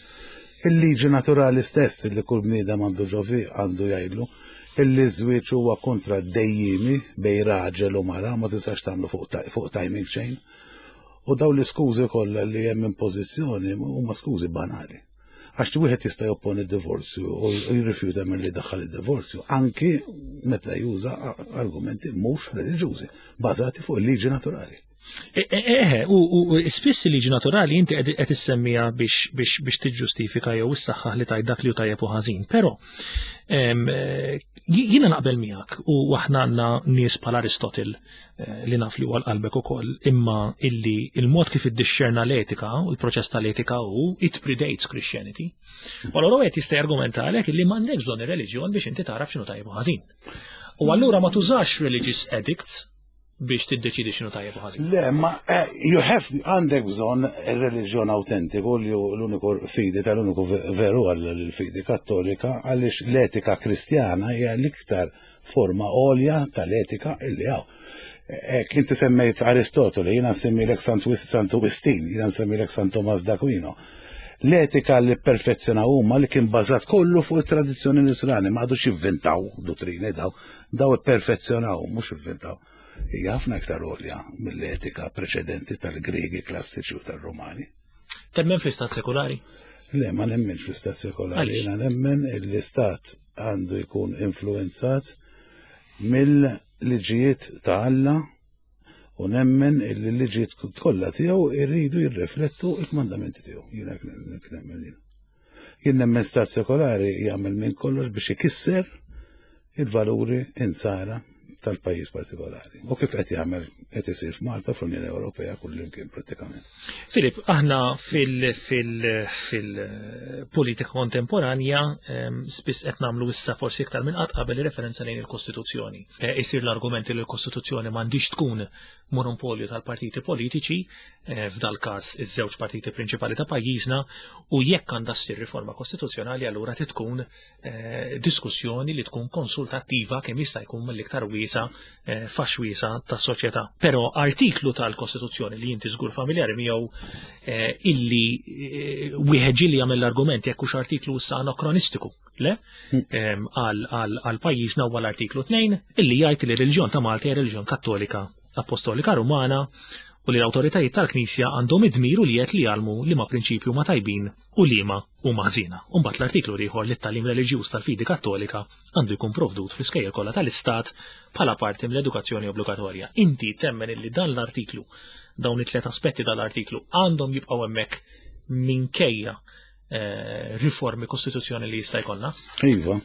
Il-liġi naturali stess li kull bniedem għandu ġo fih għandu jgħidlu illi ż-żwieġ huwa kuntratt dejjiemi bejn raġel u mara ma tistax tagħmlu fuq timing chain. U dawn l-iskużi kollha li hemm impożizzjoni huma skużi banali. Għax wieħed jista' jopponi d-divorzju u jirrifjuta milli jdaħħal id-divorzju anki meta juża argumenti mhux reliġjużi bażati fuq il-liġi naturali. Eħe, u spiss il-liġi naturali inti qed issemmija biex tiġġustifika jew issaħħaħ li tajt dak li hu tajjeb u ħażin. Però jiena naqbel miegħek u aħna għandna nies bħal Aristotle Eh, li naf li huwa l-qalbek ukoll, imma illi il-mod kif iddixxerna l-etika u l-proċess tal-etika hu it predates Christianity. U allura wieħed jista' jargumenta għalhekk illi m'għandekx bżonn ir-reliġjon biex inti tagħraf x'inhu tajjeb u ħażin. U allura ma tużax religious edicts biex tiddeċidi x'inhu tajjeb u ħażin. Le, ma eh, you have għandek bżonn ir-reliġjon autentiku li l-uniku fidi tal-uniku veru għall-fidi kattolika għaliex l-etika kristjana hija l-iktar forma għolja tal-etika illi hawn. Ek, inti semmejt Aristotele, jiena nsemmilek Santu Wistin, jiena nsemmilek San Tomas d'Aquino. L-etika li perfezzjonaw huma li kien bażat kollu fuq it-tradizzjoni nisrani, ma għadux jivvintaw dottrini daw, daw ipperfezzjonaw, mhux ivvintaw. Hija ħafna iktar għolja mill-etika preċedenti tal-Griegi klassiċi u tal-Rumani. Temmen fl-istat sekulari? Le, ma nemmenx fl-istat sekulari. Jiena nemmen l-istat għandu jkun influenzat mill-liġijiet ta' Alla u nemmen illi l-liġijiet kollha tiegħu jridu jirriflettu l-kmandamenti tiegħu. Jiena nemmen jien. Jien nemmen stat sekolari jagħmel minn kollox biex ikisser il-valuri insara tal-pajjiż partikolari. U kif qed jagħmel qed isir f'Malta fl-Unjoni Ewropea kullimkien prattikament. Filip, aħna fil-politika kontemporanja ehm, spiss qed nagħmlu issa forsi iktar minn qatt qabel referenza lejn il-Kostituzzjoni. E, isir l-argument li l-Kostituzzjoni m'għandix tkun monopolju tal-partiti politiċi, e, f'dal każ iż-żewġ partiti prinċipali ta' pajjiżna, u jekk għandha ssir riforma kostituzzjonali allura tkun Eh, diskussjoni li tkun konsultattiva kemm jista' jkun mill-iktar wiesa eh, fax wiesa tas-soċjetà. Però artiklu tal-Kostituzzjoni li inti żgur familjari miegħu eh, illi wieħed ġieli jagħmel l-argument jekk hux artiklu issa anakronistiku, le? Hmm. Għal pajjiżna huwa l-artiklu 2 illi jgħid li r-reliġjon ta' Malta hija reliġjon Kattolika Apostolika Rumana. u li l-awtoritajiet tal-Knisja għandhom id-dmir u l-jedd li jgħallmu liema prinċipji huma tajbin u liema huma ħżiena. U mbagħad l-artiklu l-ieħor li t-tagħlim reliġjuż tal-fidi Kattolika għandu jkun provdut fl-iskejjel kollha tal-Istat bħala parti mill-edukazzjoni obbligatorja. Inti temmen illi dan l-artiklu, dawn it-tliet aspetti tal-artiklu għandhom jibqgħu hemmhekk minkejja eh, riformi kostituzzjoni li jista' jkollna? Iva.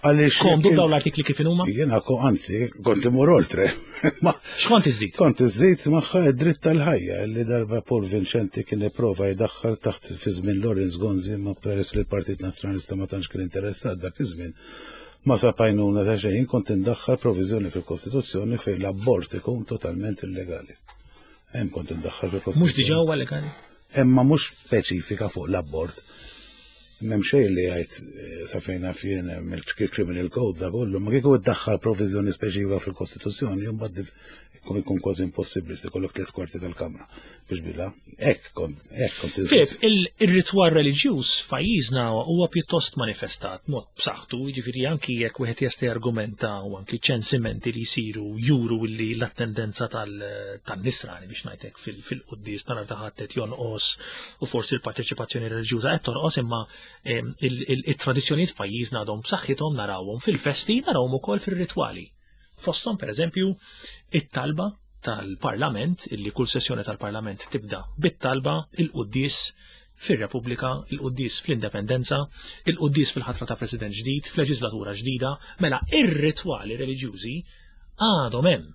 Għaliex. Komdu dawn l-artikli kif huma? Jiena ko anzi, kont imur oltre. X'kont iżid? Kont iżid magħha id-dritt tal-ħajja li darba Paul Vincenti kien ipprova jdaħħal taħt fi żmien Lawrence Gonzi ma peress li l-Partit Nazzjonalista ma tantx kien interessat dak iż-żmien. Ma sab għajnuna ta' xejn kont indaħħal proviżjoni fil-Kostituzzjoni fejn l-abort ikun totalment illegali. Hemm kont indaħħal fil-Kostituzzjoni. Mhux diġà huwa legali? Imma mhux speċifika fuq l-abort. M'hemm xejn li jgħid eh, sa fejn naf jien mill-criminal code da kollu, ma kieku iddaħħal proviżjoni speċifika fil-Kostituzzjoni, imbagħad ikun kważi impossibbli li tkollok tliet kwarti tal-Kamra biex bila. Hekk kont hekk kont Filip, ir-ritwal reliġjuż f'pajjiżna huwa pjuttost manifestat mod b'saħħtu, jiġifieri anki jekk wieħed jista' jargumenta u anki ċensimenti li jsiru juru li l-attendenza tan-nisrani biex ngħidlek fil-quddies ta' nhar ta' Ħadd qed jonqos u forsi l-parteċipazzjoni reliġjuża qed tonqos imma it-tradizzjonijiet f'pajjiżna għadhom b'saħħithom narawhom fil-festi, narawhom ukoll fir-ritwali. Fosthom pereżempju it-talba tal-Parlament illi kull sessjoni tal-Parlament tibda bit-talba il-quddies fir-Repubblika, il-quddies fl-Indipendenza, il-quddies fil-ħatra ta' President ġdid, f'leġislatura ġdida, mela ir-ritwali reliġjużi għadhom hemm.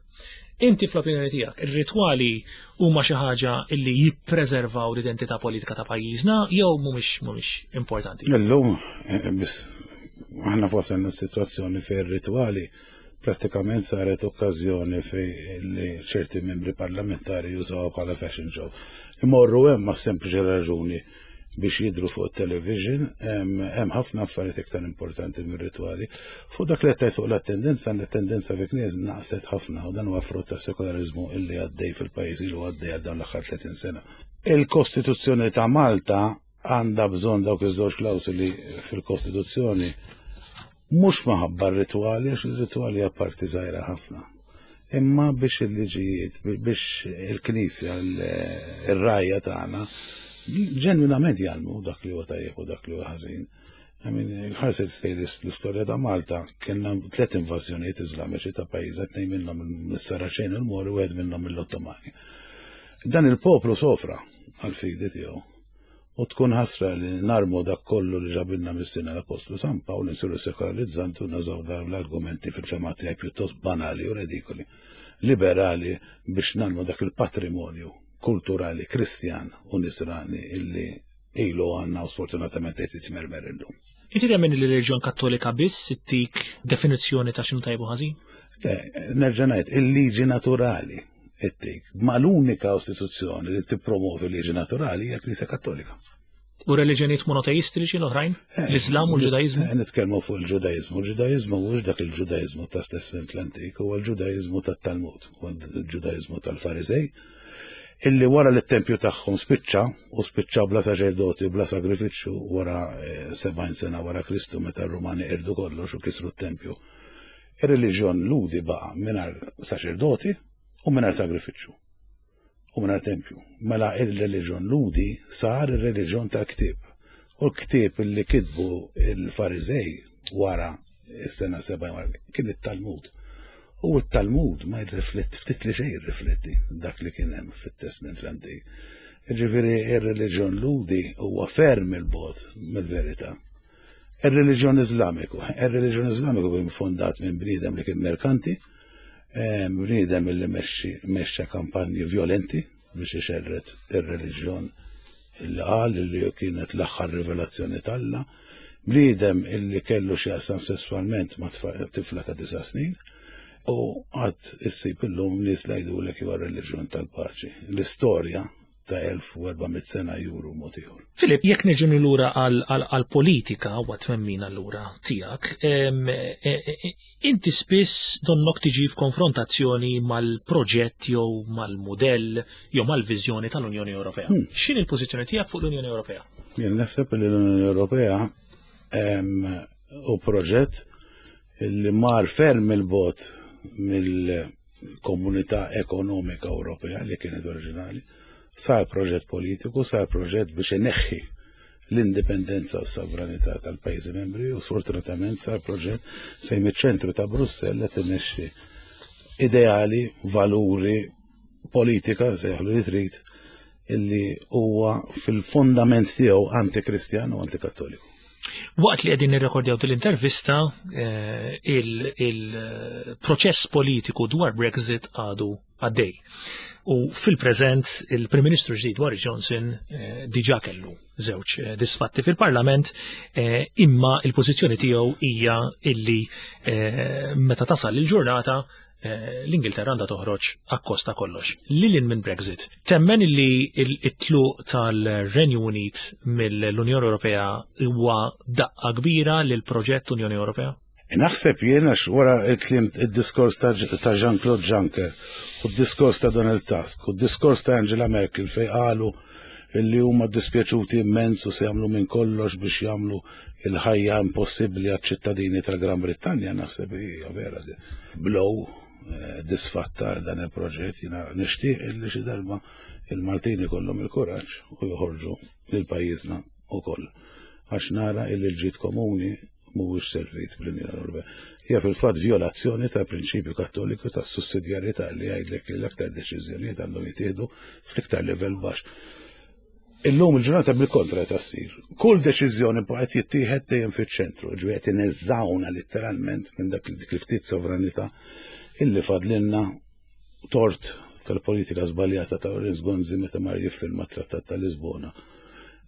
Inti fl-opinjoni tiegħek, ir-ritwali huma xi ħaġa illi jippreservaw l-identità politika ta' pajjiżna jew mhumiex mhumiex importanti? Illum eh, biss aħna wasalna s-sitwazzjoni fejn ir-ritwali prattikament saret okkażjoni fejn li ċerti membri parlamentari jużawha bħala fashion show. Imorru hemm ma' sempliċi raġuni biex jidru fuq television, hemm ħafna affarijiet iktar importanti mir-ritwali. Fuq dak li qed fuq l-attendenza, l-attendenza fi knies naqset ħafna u dan huwa frott ta' sekolarizmu illi għaddej fil-pajjiż ilu għaddej għal dawn l-aħħar 30 sena. Il-Kostituzzjoni ta' Malta għandha bżonn dawk iż-żewġ klawsoli fil-Kostituzzjoni Mhux minħabba r-ritwali, għax ir-ritwali hija parti żgħira ħafna. Imma biex il-liġijiet, biex il-Knisja, ir-rgħajja tagħna, ġenwinament jgħallmu dak li huwa tajjeb u dak li huwa ħażin. Ħarset lejn l-istorja ta' Malta, kellna tliet invażjonijiet Iżlamiċi ta' pajjiżna, tnejn minnhom mis-Saraċen u l-Mori u wieħed minnhom mill-Ottomani. Dan il-poplu sofra għall-fidi tiegħu. U tkun ħasra li narmu dak kollu li ġabilna missierna l-Appostlu San Pawl, insiru sekolarizzanti u nużaw dawn l-argumenti fil-fehma tiegħi pjuttost banali u redikoli, liberali biex narmu dak il-patrimonju kulturali Kristjan u Nisrani illi ilu għandna u sfortunatament qed jitmermer illum. Inti temmen li l-reliġjon Kattolika biss ittik definizzjoni ta' x'inhu tajjeb u ħażin? Le, nerġa' ngħid, il-liġi naturali ittik. Ma l-unika istituzzjoni li tippromovi liġi naturali hija Knisja Kattolika. U reliġjonijiet monoteistiċi l-oħrajn? Eh, L-Islam u l-Ġudaizmu? Eh, nitkellmu fuq il-Ġudaizmu. Il-Ġudaizmu mhux dak il-Ġudaizmu ta' Testament l-Antik, huwa l-Ġudaizmu tat-Talmud, huwa l-Ġudaizmu tal-Farizej, illi wara li t-tempju tagħhom spiċċa u spiċċa bla saċerdoti u bla sagrifiċċju wara 70 eh, sena wara Kristu meta r-Rumani qirdu kollox u kisru t-tempju. Ir-reliġjon Lhudi baqa' mingħajr saċerdoti u mingħajr sagrifiċċju u mingħajr tempju. Mela ir-reliġjon Lhudi sar ir-reliġjon tal-ktieb. U l-ktieb li kitbu il-Fariżej wara s-sena 70 kien it-Talmud. U t-Talmud ma jirrifletti ftit li xejn jirrifletti dak li kien hemm fit-Testment l-Antik. Ġifieri ir-reliġjon Lhudi huwa ferm il-bogħod mill-verità. Ir-reliġjon Iżlamiku. Ir-reliġjon Iżlamiku kien fondat minn bniedem li kien merkanti, eh, bniedem li mexxa kampanji violenti biex ixerred ir-reliġjon illi qal li kienet l-aħħar rivelazzjoni t'Alla, bniedem illi kellu x'jaqsam sesswalment ma' tifla ta' disa' snin, u għad issib illum nies li jgħidulek huwa reliġjon tal-paċi. L-istorja ta' 1400 sena juru mod ieħor. Filip, jekk niġu lura għall-politika u għat-twemmin allura tiegħek, e, e, e, inti spiss donnok tiġi f'konfrontazzjoni mal-proġett jew mal-mudell jew mal-viżjoni tal-Unjoni Ewropea. Hmm. X'inhi l-pożizzjoni tiegħek fuq l-Unjoni Ewropea? Jien naħseb li l-Unjoni Ewropea u proġett li mar ferm il-bot mill Komunità Ekonomika Ewropea li kienet oriġinali, sar proġett politiku, sar proġett biex ineħħi l-indipendenza u s-sovranità tal-pajjiżi membri u sfortunatament sar proġett fejn miċ-ċentru ta' Brussell qed imexxi ideali, valuri, politika, sejħlu li trid, illi huwa fil-fondament tiegħu antikristjan u antikattoliku. Waqt li qegħdin nirrekordjaw din-intervista, il-proċess politiku dwar Brexit għadu għaddej. U fil-preżent il-Prim Ministru ġdid Boris Johnson diġà kellu żewġ disfatti fil-Parlament, imma il-pożizzjoni tiegħu hija illi meta tasal il-ġurnata l-Ingilterra għandha toħroġ akkost ta' kollox. Lil hinn minn Brexit, temmen illi it-tluq tal-Renju Unit mill-Unjoni Ewropea huwa daqqa kbira lil proġett Unjoni Ewropea? Naħseb jien għax wara il-kliem id-diskors ta' Jean-Claude Juncker u d-diskors ta' Donald Tusk u d-diskors ta' Angela Merkel fej qalu illi huma dispjaċuti immens u se jagħmlu minn kollox biex jagħmlu il-ħajja impossibbli għaċ-ċittadini tal-Gran Brittanja, naħseb hija vera blow disfatta dan il-proġett. Jiena nixtieq illi xi darba il-Maltin ikollhom il-kuraġġ u joħorġu lil pajjiżna ukoll. Għax nara illi l-ġid komuni mhuwiex servit bl-Unjoni Ewropea. Hija fil-fatt violazzjoni tal-prinċipju kattoliku tas-sussidjarjetà li jgħidlek li l-aktar deċiżjonijiet għandhom jittieħdu fl-iktar livell baxx. Illum il-ġurnata bil-kontra ta' ssir. Kull deċiżjoni qed jittieħed dejjem fiċ-ċentru, ġifieri qed ineżżawna letteralment minn dak dik li ftit sovranità illi fadlinna tort tal-politika żbaljata ta' Lawrence Gonzi meta mar jiffirma t-Trattat ta' Lisbona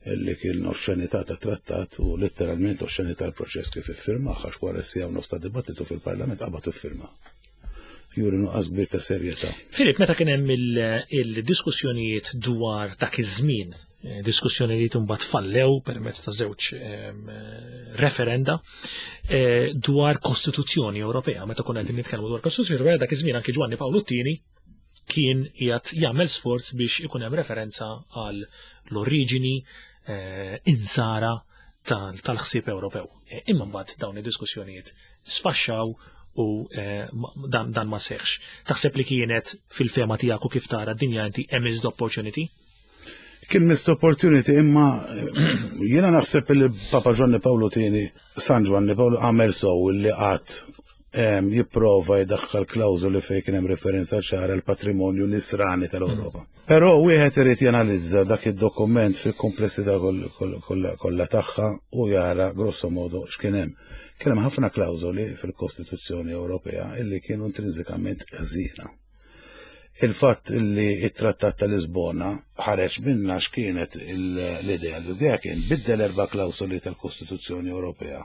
illi kien oxxenità ta' trattat u letteralment oxxenità l-proċess kif iffirma għax wara siegħa u nofs ta' dibattitu fil-Parlament qabad iffirma. Juri nuqqas kbir ta' serjetà. Filip, meta kien hemm il-diskussjonijiet dwar dak iż-żmien, diskussjonijiet imbagħad fallew permezz ta' żewġ referenda dwar Kostituzzjoni Ewropea, meta konna qegħdin nitkellmu dwar Kostituzzjoni Ewropea dak iż-żmien anke Ġwanni Pawlu t-tieni kien qiegħed jagħmel sforz biex ikun hemm referenza għal l-oriġini insara tal-ħsieb Ewropew. Imma mbagħad dawn id-diskussjonijiet sfaxxaw u dan ma seħx. Taħseb li kienet fil-fehma tiegħek u kif tara d-dinja inti a missed opportunity? Kien missed opportunity, imma jiena naħseb li Papa Ġwanni Pawlu tieni, San Ġwanni Pawlu għamel sew li qatt jipprova jdaħħal klawżoli fejn kien hemm referenza ċara l-patrimonju nisrani tal-Ewropa. Però wieħed irid janalizza dak id-dokument fil-komplessità kollha tagħha u jara grosso modo x'kien hemm. Kien hemm ħafna klawżoli fil-Kostituzzjoni Ewropea illi kienu intrinsikament ħżiena. Il-fatt illi it-Trattat ta' Lisbona ħareġ minna x'kienet l-idea? L-idea kien biddel erba' klawsoli tal-Kostituzzjoni Ewropea,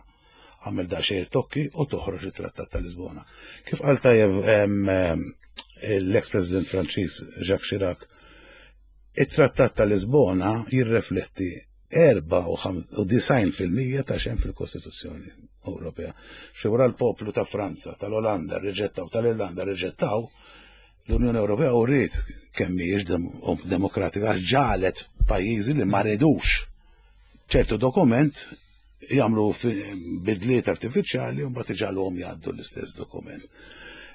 għamel daqsxejn tokki u toħroġ it-Trattat ta' Lisbona. Kif qal tajjeb l-ex-President Franċiż Jacques Chirac, it-Trattat ta' Lisbona jirrefletti 94% ta' xejn fil-Kostituzzjoni Ewropea. Xi wara l-poplu ta' Franza, tal-Olanda rriġettaw, tal-Irlanda rriġettaw, l-Unjoni Ewropea uriet kemm mhijiex demokratika għax ġagħlet pajjiżi li ma ridux ċertu dokument jagħmlu bidliet artifiċjali u mbagħad iġagħluhom jgħaddu l-istess dokument.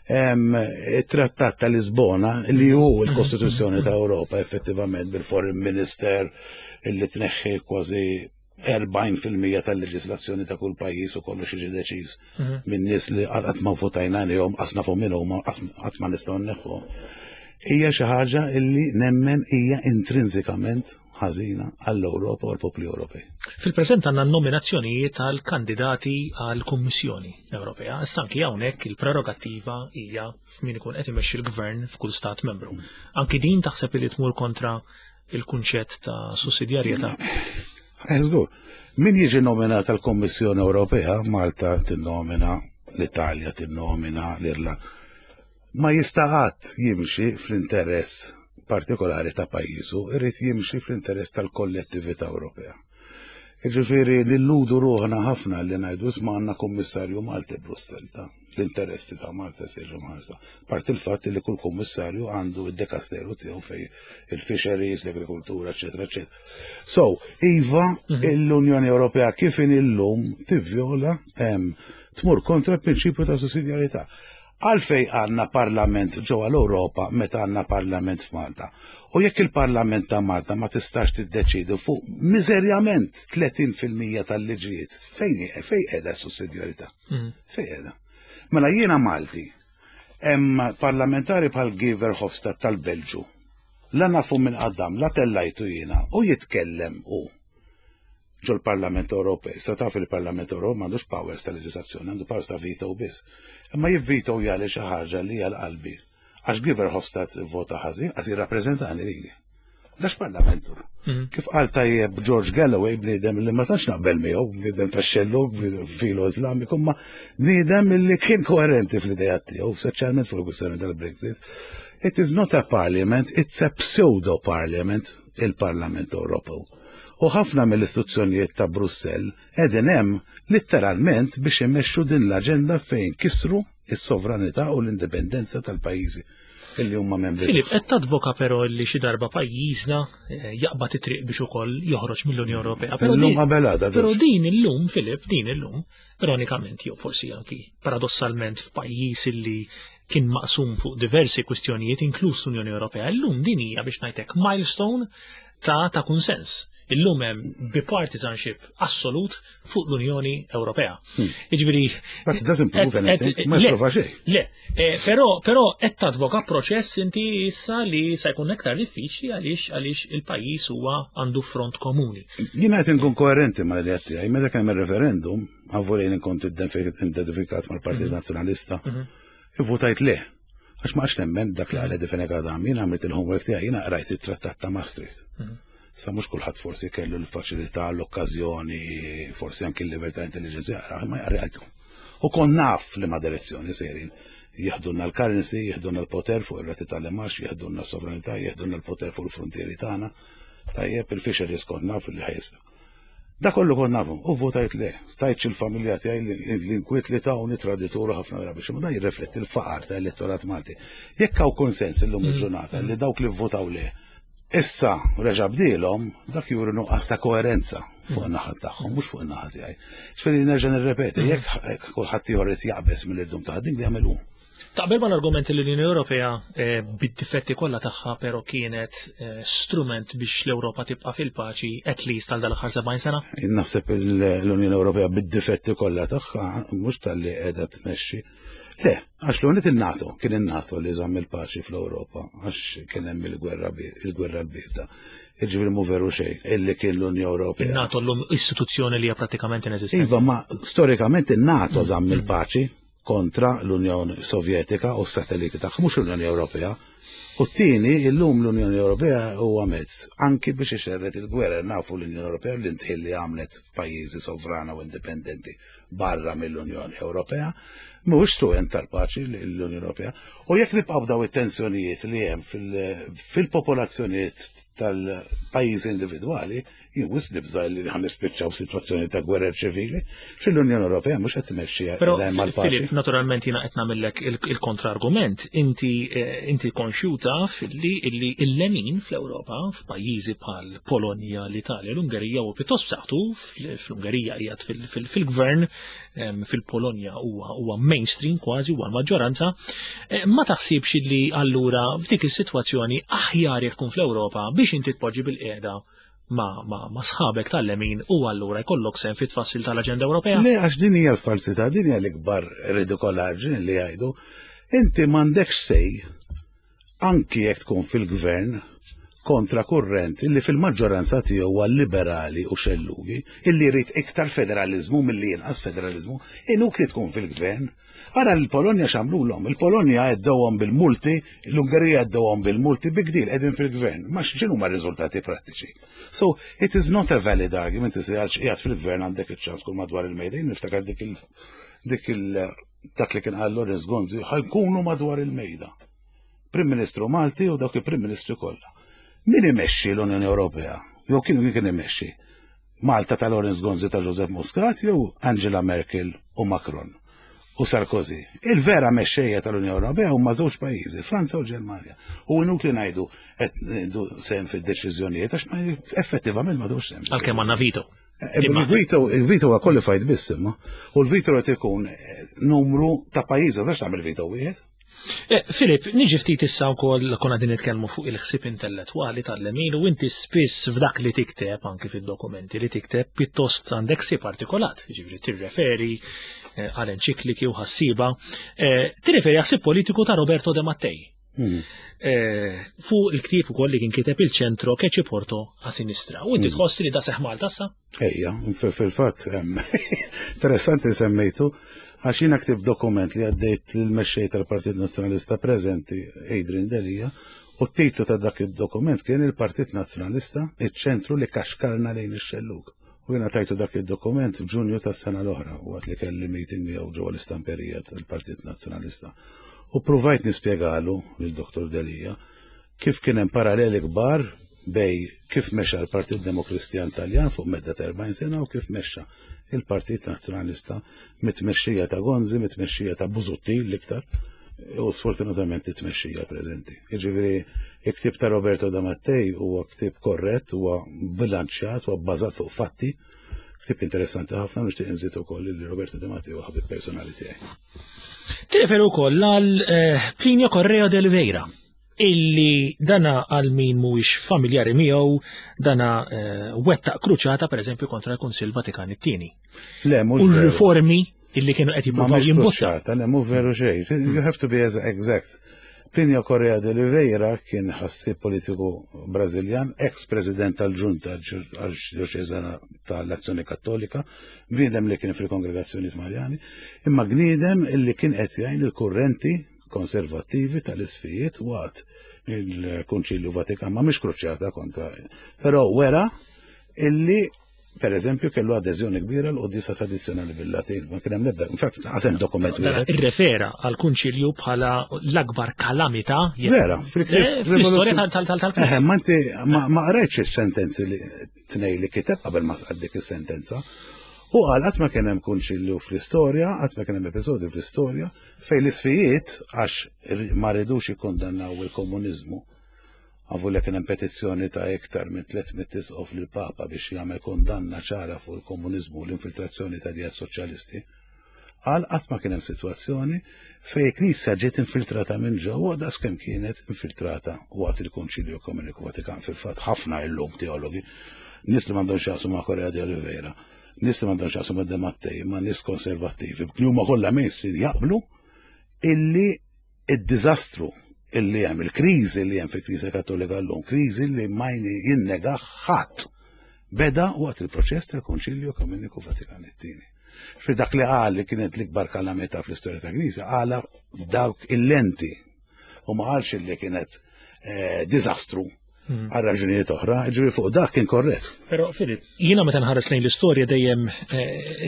Il-Trattat ta' Lisbona, li hu l-Kostituzzjoni ta' Ewropa effettivament bil-Foreign Minister illi tneħħi kważi 40% tal-leġislazzjoni ta' kull pajjiż u kollox jiġi deċiż minn nies li qatt ma votajna għalihom, qas nafu min huma, qatt ma nistgħu nneħħu. Hija xi ħaġa illi nemmen hija intrinsikament ħażina għall-Ewropa u għall-popli Ewropej. Fil-preżent għandna nominazzjonijiet tal-kandidati għall-Kummissjoni Ewropea. Issa anki hawnhekk il-prerogattiva hija f'min ikun qed imexxi l-gvern f'kull stat membru. Anki din taħseb li tmur kontra il-kunċett ta' sussidjarjetà? Żgur. Min jiġi nominat għall-Kummissjoni Ewropea, Malta tinnomina, l-Italja tinnomina, l-Irlanda, ma jista' qatt jimxi fl-interess partikolari ta' pajjiżu, irid jimxi fl-interess tal-kollettività Ewropea. Jiġifieri nilludu ruħna ħafna li ngħidu isma' għandna kummissarju Malti Brussell ta' l-interessi ta' Malta se jiġu mħarsa. Parti il-fatt li kull kummissarju għandu id-dekasteru tiegħu fej il-fisheries, l-agrikultura, eċetera, eċetera. So, iva, l-Unjoni Ewropea kif in illum tivvjola tmur kontra l-prinċipju ta' sussidjarjetà. Għalfej għandna parlament ġewwa l-Ewropa meta għandna parlament f'Malta? U jekk il-Parlament ta' Malta ma tistax tiddeċiedi fuq miżerjament 30% tal-liġijiet, fejn fejn qiegħda s-sussidjarità? Fejn qiegħda? Mela jiena Malti, hemm parlamentari bħal Guy Verhofstadt tal-Belġu. La nafu minn qaddam, la tellajtu jiena u jitkellem hu ġol-Parlament Ewropej. Sa taf il-Parlament Ewropew m'għandux powers ta' leġislazzjoni, għandu powers ta' veto biss. Imma jivveto jali xi ħaġa li hija l-qalbi. Għax Guy Verhofstadt vota ħażin, għax jirrappreżentani lili. Dax parlamentu. Kif qal tajjeb George Galloway, bniedem li ma tantx naqbel miegħu, bniedem tax-xellug, bniedem filo Iżlamiku, ma bniedem li kien koerenti fl-idejat tiegħu, speċjalment fuq il-kwistjoni tal-Brexit. It is not a parliament, it's a pseudo parliament, il-Parlament Ewropew. U ħafna mill-istituzzjonijiet ta' Brussell qegħdin hemm litteralment biex imexxu din l-aġenda fejn kisru is-sovranità u l-indipendenza tal-pajjiżi illi huma membri. Filip, qed tadvoka però li xi darba pajjiżna jaqbad it-triq biex ukoll joħroġ mill-Unjoni Ewropea. Però Illum qabel għada, Però din illum, Filip, din illum, ironikament jew forsi anki paradossalment f'pajjiż illi kien maqsum fuq diversi kwistjonijiet inkluż l-Unjoni Ewropea, illum din hija biex ngħidlek milestone ta' kunsens. Illum hemm bipartisanship assolut fuq l-Unjoni Ewropea. Jiġifieri But it doesn't prove anything, ma le, jipprova xejn. Le, però qed tadvoka proċess inti issa li se jkun aktar diffiċli għaliex il-pajjiż huwa għandu front komuni. Jiena qed inkun koerenti mal-idea tiegħi, meta kemm ir-referendum, għavvolejn inkont identifikat mal-Partit Nazzjonalista, ivvutajt le. Għax ma għax nemmen dak li għal Fenech Adami, jiena għamilt il-homework tiegħi, jiena qrajt it-Trattat ta' Maastricht. Sa mhux kulħadd forsi kellu l-faċilità, l-okkażjoni, forsi anki l-livell ta' intelligenza jaqra, ma jaqrajtu. U kon naf li ma direzzjoni sejrin. Jeħdulna l-currency, jeħdulna l-poter fuq ir-rati tal-imax, jeħdulna s-sovranità, jeħdulna l-poter fuq il-frontieri tagħna. Tajjeb, il-fisheries kont naf li ħajsbu. Da kollu kont nafu, u votajt le, tajtx il-familja tiegħi l-inkwiet li tawni tradituru ħafna drabi, xi da jirrifletti l-faqar ta' elettorat Malti. Jekk hawn konsens illum il-ġurnata li dawk li votaw le, issa reġa' bdielhom, dak juri nuqqas ta' koerenza fuq in-naħa tagħhom, mhux fuq in-naħa tiegħi. Ġifieri nerġa' nirrepeti, jekk kulħadd ieħor irid jaqbeż mill-irdum ta' dik li jagħmel hu. Taqbel mal-argument li l-Unjoni Ewropea bid-difetti kollha tagħha però kienet strument biex l-Ewropa tibqa' fil-paċi at least għal dal-aħħar 70 sena? Naħseb l-Unjoni Ewropea bid-difetti kollha tagħha mhux talli qiegħda tmexxi. Le, għax l-unit il-NATO, kien il-NATO li żamm il-paċi fl-Ewropa, għax kien hemm il-gwerra l-bierda. Jiġifieri mhu veru xejn illi kien l-Unjoni Ewropea. Il-NATO llum istituzzjoni li hija prattikament ineżistenti. Iva, ma storikament il-NATO żamm il-paċi kontra l-Unjoni Sovjetika u s-satelliti tagħha, mhux l-Unjoni Ewropea. U t-tieni, illum l-Unjoni Ewropea huwa mezz anki biex ixerred il-gwerra. Nafu l-Unjoni Ewropea l-intħil li għamlet f'pajjiżi sovrana u indipendenti barra mill-Unjoni Ewropea, mhuwiex strument tal-paċi l-Unjoni Ewropea. U jekk nibqgħu daw it-tensjonijiet li hemm fil-popolazzjonijiet tal-pajjiżi individwali, jien wisq nibża' li ħa nispiċċaw f'sitwazzjoni ta' gwerer ċivili. Fil-Unjoni Ewropea mhux qed tmexxi Però, hemm għall-paċi. Filip, naturalment jiena qed nagħmellek il-kontrargument. Inti konxju taf illi il-lemin fl-Ewropa, f'pajjiżi bħal Polonja, l-Italja, l-Ungerija u pjuttost b'saħħtu, fl-Ungerija qiegħed fil-gvern, fil-Polonja huwa mainstream kważi, huwa l-maġġoranza. Ma taħsibx illi allura f'dik is-sitwazzjoni aħjar jekk tkun fl-Ewropa biex inti tpoġġi bil-qiegħda ma sħabek tal-lemin u allura jkollok sehem fit-tfassil tal-Aġenda Ewropea? Le, għax din hija l-falsità, din hija l-ikbar ridikolaġni li jgħidu. Inti m'għandekx sej, anki jekk tkun fil-gvern, kontra kurrent illi fil-maġġoranza tiegħu huwa liberali u xellugi, illi jrid iktar federalizmu milli jinqas federalizmu, inutli tkun fil-gvern. Ara l-Polonja x'għamlulhom, il-Polonja għeddewhom bil-multi, l-Ungerija għeddewhom bil-multi, big deal, qegħdin fil-gvern. Ma x'inhu ma riżultati prattiċi. So, it is not a valid argument to say għalx qiegħed fil-gvern għandek iċ-ċans kull madwar il-mejda. Jien niftakar dak li kien qal Lawrence Gonzi, ħajkunu madwar il-mejda. Prim Ministru Malti u dawk il-Prim Ministri kollha. Min imexxi l-Unjoni Ewropea? Jew kien min kien imexxi? Malta ta' Lawrence Gonzi ta' Joseph Muscat jew Angela Merkel u Macron u Sarkozy. Il-vera mexxejja tal-Unjoni Ewropea huma żewġ pajjiżi, Franza u Ġermanja. U inutli ngħidu qed ngħidu sehem fid-deċiżjonijiet għax ma effettivament ma dux sehem. Għalkemm għandna veto. Il-veto il-veto huwa qualified biss imma. U l-veto qed ikun numru ta' pajjiż, għax tagħmel veto wieħed. Filip, niġi ftit issa wkoll konna din nitkellmu fuq il-ħsieb intellettwali tal-lemin u inti spiss f'dak li tikteb anki fid-dokumenti li tikteb pjuttost għandek ħsieb artikolat, jiġifieri tirreferi għal enċikliki u ħassiba, tirreferi għal ħsieb politiku ta' Roberto De Mattei. Fuq il-ktieb ukoll li kien kiteb il-ċentro che ci porto a sinistra. U inti tħoss li da seħ Malta issa? Ejja, fil-fatt, interessanti semmejtu, għax jiena ktib dokument li għaddejt lill-mexxej tal-Partit Nazzjonalista preżenti, Adrian Delia, u t-titlu ta' dak id-dokument kien il-Partit Nazzjonalista, iċ-ċentru li kaxkarna lejn ix-xellug. U jiena tajtu dak id-dokument f'Ġunju tas-sena l-oħra, waqt li kelli meeting miegħu ġewwa l-istamperija tal-Partit Nazzjonalista. U ppruvajt nispjegalu lil Dr. Delia kif kien hemm paralleli kbar bej kif mexa l-Partit Demokristjan Taljan fuq medda ta' 40 sena u kif mexa il-Partit Nazzjonalista mit-tmexxija ta' Gonzi, mit-tmexxija ta' Busuttil l-iktar, u sfortunatament it-tmexxija preżenti. Jiġifieri il-ktieb ta' Roberto De Mattei huwa ktieb korrett, huwa bilanċjat, huwa bbażat fuq fatti. Ktieb interessanti ħafna nixtieq inżid ukoll li Roberto De Mattei huwa ħabib personali tiegħi. Tirreferi wkoll għal Plinio Correa de Oliveira, illi dana għal min mhuwiex familjari miegħu dana wettaq kruċata pereżempju kontra l-Kunsill Vatikan it-tieni. Le, mhux U r-riformi illi kienu qed jippruvaw jimbutta. Kruċata, le mhux veru xejn. You have to be as exact. Plinio Correa de Oliveira kien ħassieb politiku Brażiljan, ex-president tal-Ġunta Arċidjoċeżana tal-Azzjoni Kattolika, bniedem li kien fil-kongregazzjonijiet Marjani, imma bniedem illi kien qed jgħin il-kurrenti konservattivi tal-isfijiet waqt il-Kunċilju Vatikan, ma mhix kruċjata kontra, però wera illi per eżempju kellu adeżjoni kbira l-quddiesa tradizzjonali bil-Latin, ma kien hemm l-ebda, infatti għad hemm dokument wieħed. Irrefera għall-Kunċilju bħala l-akbar kalamità Vera, fl-istorja tal-Knisja. Ma inti ma qrajtx is-sentenzi li tnej li kiteb qabel ma sqad dik is-sentenza. U qal qatt ma kien hemm kunċilju fl-istorja, qatt ma kien hemm episodju fl-istorja fejn l-isfijiet għax ma ridux jikkondannaw il-komuniżmu. Għavu li kien hemm petizzjoni ta' iktar minn 300 isqof lill-Papa biex jagħmel kundanna ċara fuq il-komuniżmu u l-infiltrazzjoni ta' ideat soċjalisti. Qal qatt ma kien hemm sitwazzjoni fejn il-Knisja ġiet infiltrata minn ġewwa daqs kemm kienet infiltrata waqt il-Konċilju Ekumeniku Vatikan. Fil-fatt ħafna illum teologi, nies li m'għandhom x'jaqsmu ma' Correa de Oliveira, nies li m'għandhom x'jaqsmu ma' De Mattei, ma' nies konservattivi, li huma kollha mainstream jaqblu illi id-diżastru illi hemm, il-kriżi li hemm fil-Knisja Kattolika llum, kriżi li ma jinnega ħadd, beda waqt il-proċess tal-Konċilju Ekumeniku Vatikan it-tieni. Fi dak li qal li kienet l-ikbar kalamità fl-istorja tal-Knisja, qala f'dawk il-lenti u ma qalx li kienet diżastru għal raġunijiet oħra, ġifieri fuq dak kien korrett. Però Filip, jiena meta nħares lejn l-istorja dejjem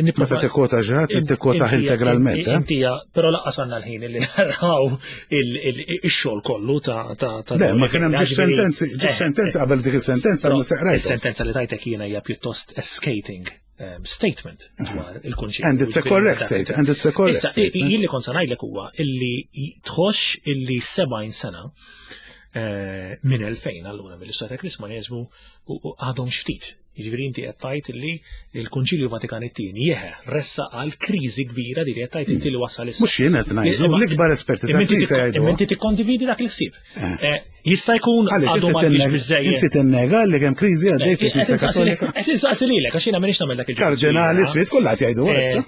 nipprova Meta tikkota ġrat, tikkota integralment. Inti, però laqqas għandna l-ħin li naraw ix-xogħol kollu ta' ta' Le, ma kien hemm ġiex sentenzi, ġiex sentenzi qabel dik is-sentenza ma seqrajt. Is-sentenza li tajtek jiena hija pjuttost skating statement dwar il-kunċett. And it's a correct statement. And it's a correct Issa, statement. jien li kont se ngħidlek huwa illi tħoss illi 70 sena minn 2000 allura mill-istorja ta' Krismaneżmu għadhom xftit. Jiġifieri inti qed tgħid illi l-Kunċilju Vatikan it-tieni jeħe ressa għal kriżi kbira li qed tgħid inti li wasal issa. Mhux jien qed ngħidu, l-ikbar esperti ta' Knisja jgħidu. Imma inti tikkondividi dak il-ħsieb. Jista' jkun Għaliex għadu inti ma għandix tinnega- biżejjed. Inti tinnega li kemm kriżi għaddej fil-Knisja Kattolika. Qed insaqsi lilek għax jiena m'iniex nagħmel dak il-ġudizzju. Kardinali swiet kollha qed jgħidu issa.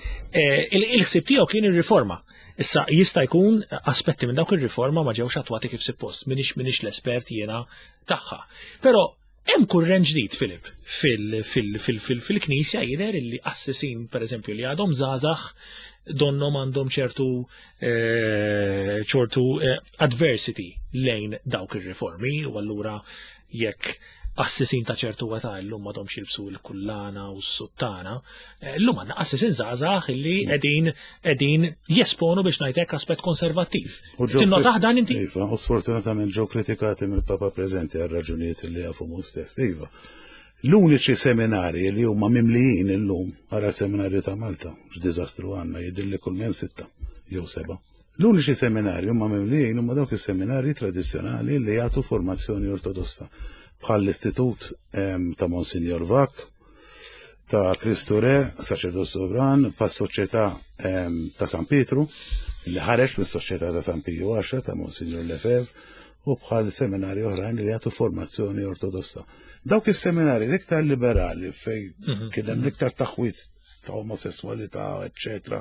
Il-ħsieb tiegħu kien ir-riforma. Issa jista' jkun aspetti minn dawk ir-riforma ma ġewx attwati kif suppost, minix l-espert jiena tagħha. Però hemm kurrent ġdid, Filip, fil-Knisja jidher illi qassisin, pereżempju, li għadhom żgħażagħ donhom għandhom ċertu adversity lejn dawk ir-riformi, u allura jekk qassisin ta' ċertu età llum m'għadhomx jilbsu l-kullana u s-suttana, llum għandna qassisin żgħażagħ illi qegħdin jesponu biex ngħidlek aspett konservattiv. U ġew Tinnotah dan inti? Iva, u sfortunatament ġew kritikati mill-Papa preżenti għal raġunijiet li jafu mhu stess. Iva. L-uniċi seminarji li huma mimlijin illum għara l-seminarju ta' Malta, x'diżastru għandna, jidhirli kull m'hemm 6 jew 7. L-uniċi seminarji huma mimlijin huma dawk is-seminarji tradizzjonali li jagħtu formazzjoni ortodossa, bħal l-Istitut ta' Monsignor Vak, ta' Kristu Re, saċerdot sovran, bħas-Soċjetà ta' San Pietru, li ħareġ mis-Soċjetà ta' San Piju 10 ta' Monsignor Lefebvre, u bħal seminari oħrajn li jagħtu formazzjoni ortodossa. Dawk is-seminari l-iktar liberali fej mhm. kien hemm l-iktar taħwit ta' omosessualità, eċċetera,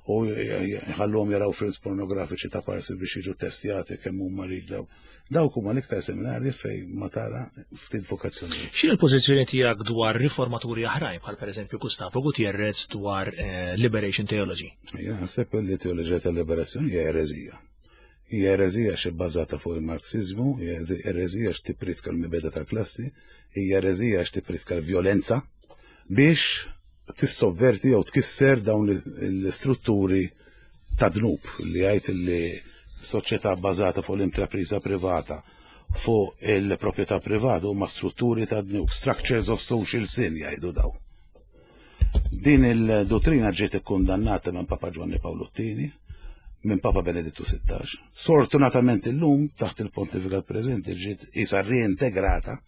u jħallhom jaraw films pornografiċi ta' parsi biex jiġu testjati kemm huma riglew. Dawk huma l-iktar seminarji fej ma tara ftit vokazzjoni. X'inhi l-pożizzjoni tiegħek dwar riformaturi aħrajn bħal pereżempju Gustavo Gutierrez dwar eh, Liberation Theology? Jien naħseb li teoloġija tal-liberazzjoni hija ereżija. Hija ereżija xi bbażata fuq il-Marxiżmu, hija ereżija għax tippritka l-mibeda tal-klassi, hija ereżija għax tippritka l-vjolenza biex tissovverti jew tkisser dawn l-istrutturi ta' dnub li jgħid li soċjetà bbażata fuq l-intrapriża privata fuq il-proprjetà privata huma strutturi ta' dnub, structures of social sin jgħidu daw. Din il-dottrina ġiet ikkundannata minn Papa Ġwanni Pawlu II, minn Papa Benedittu XVI. Sfortunatament illum taħt il-pontifikat preżenti ġiet isa reintegrata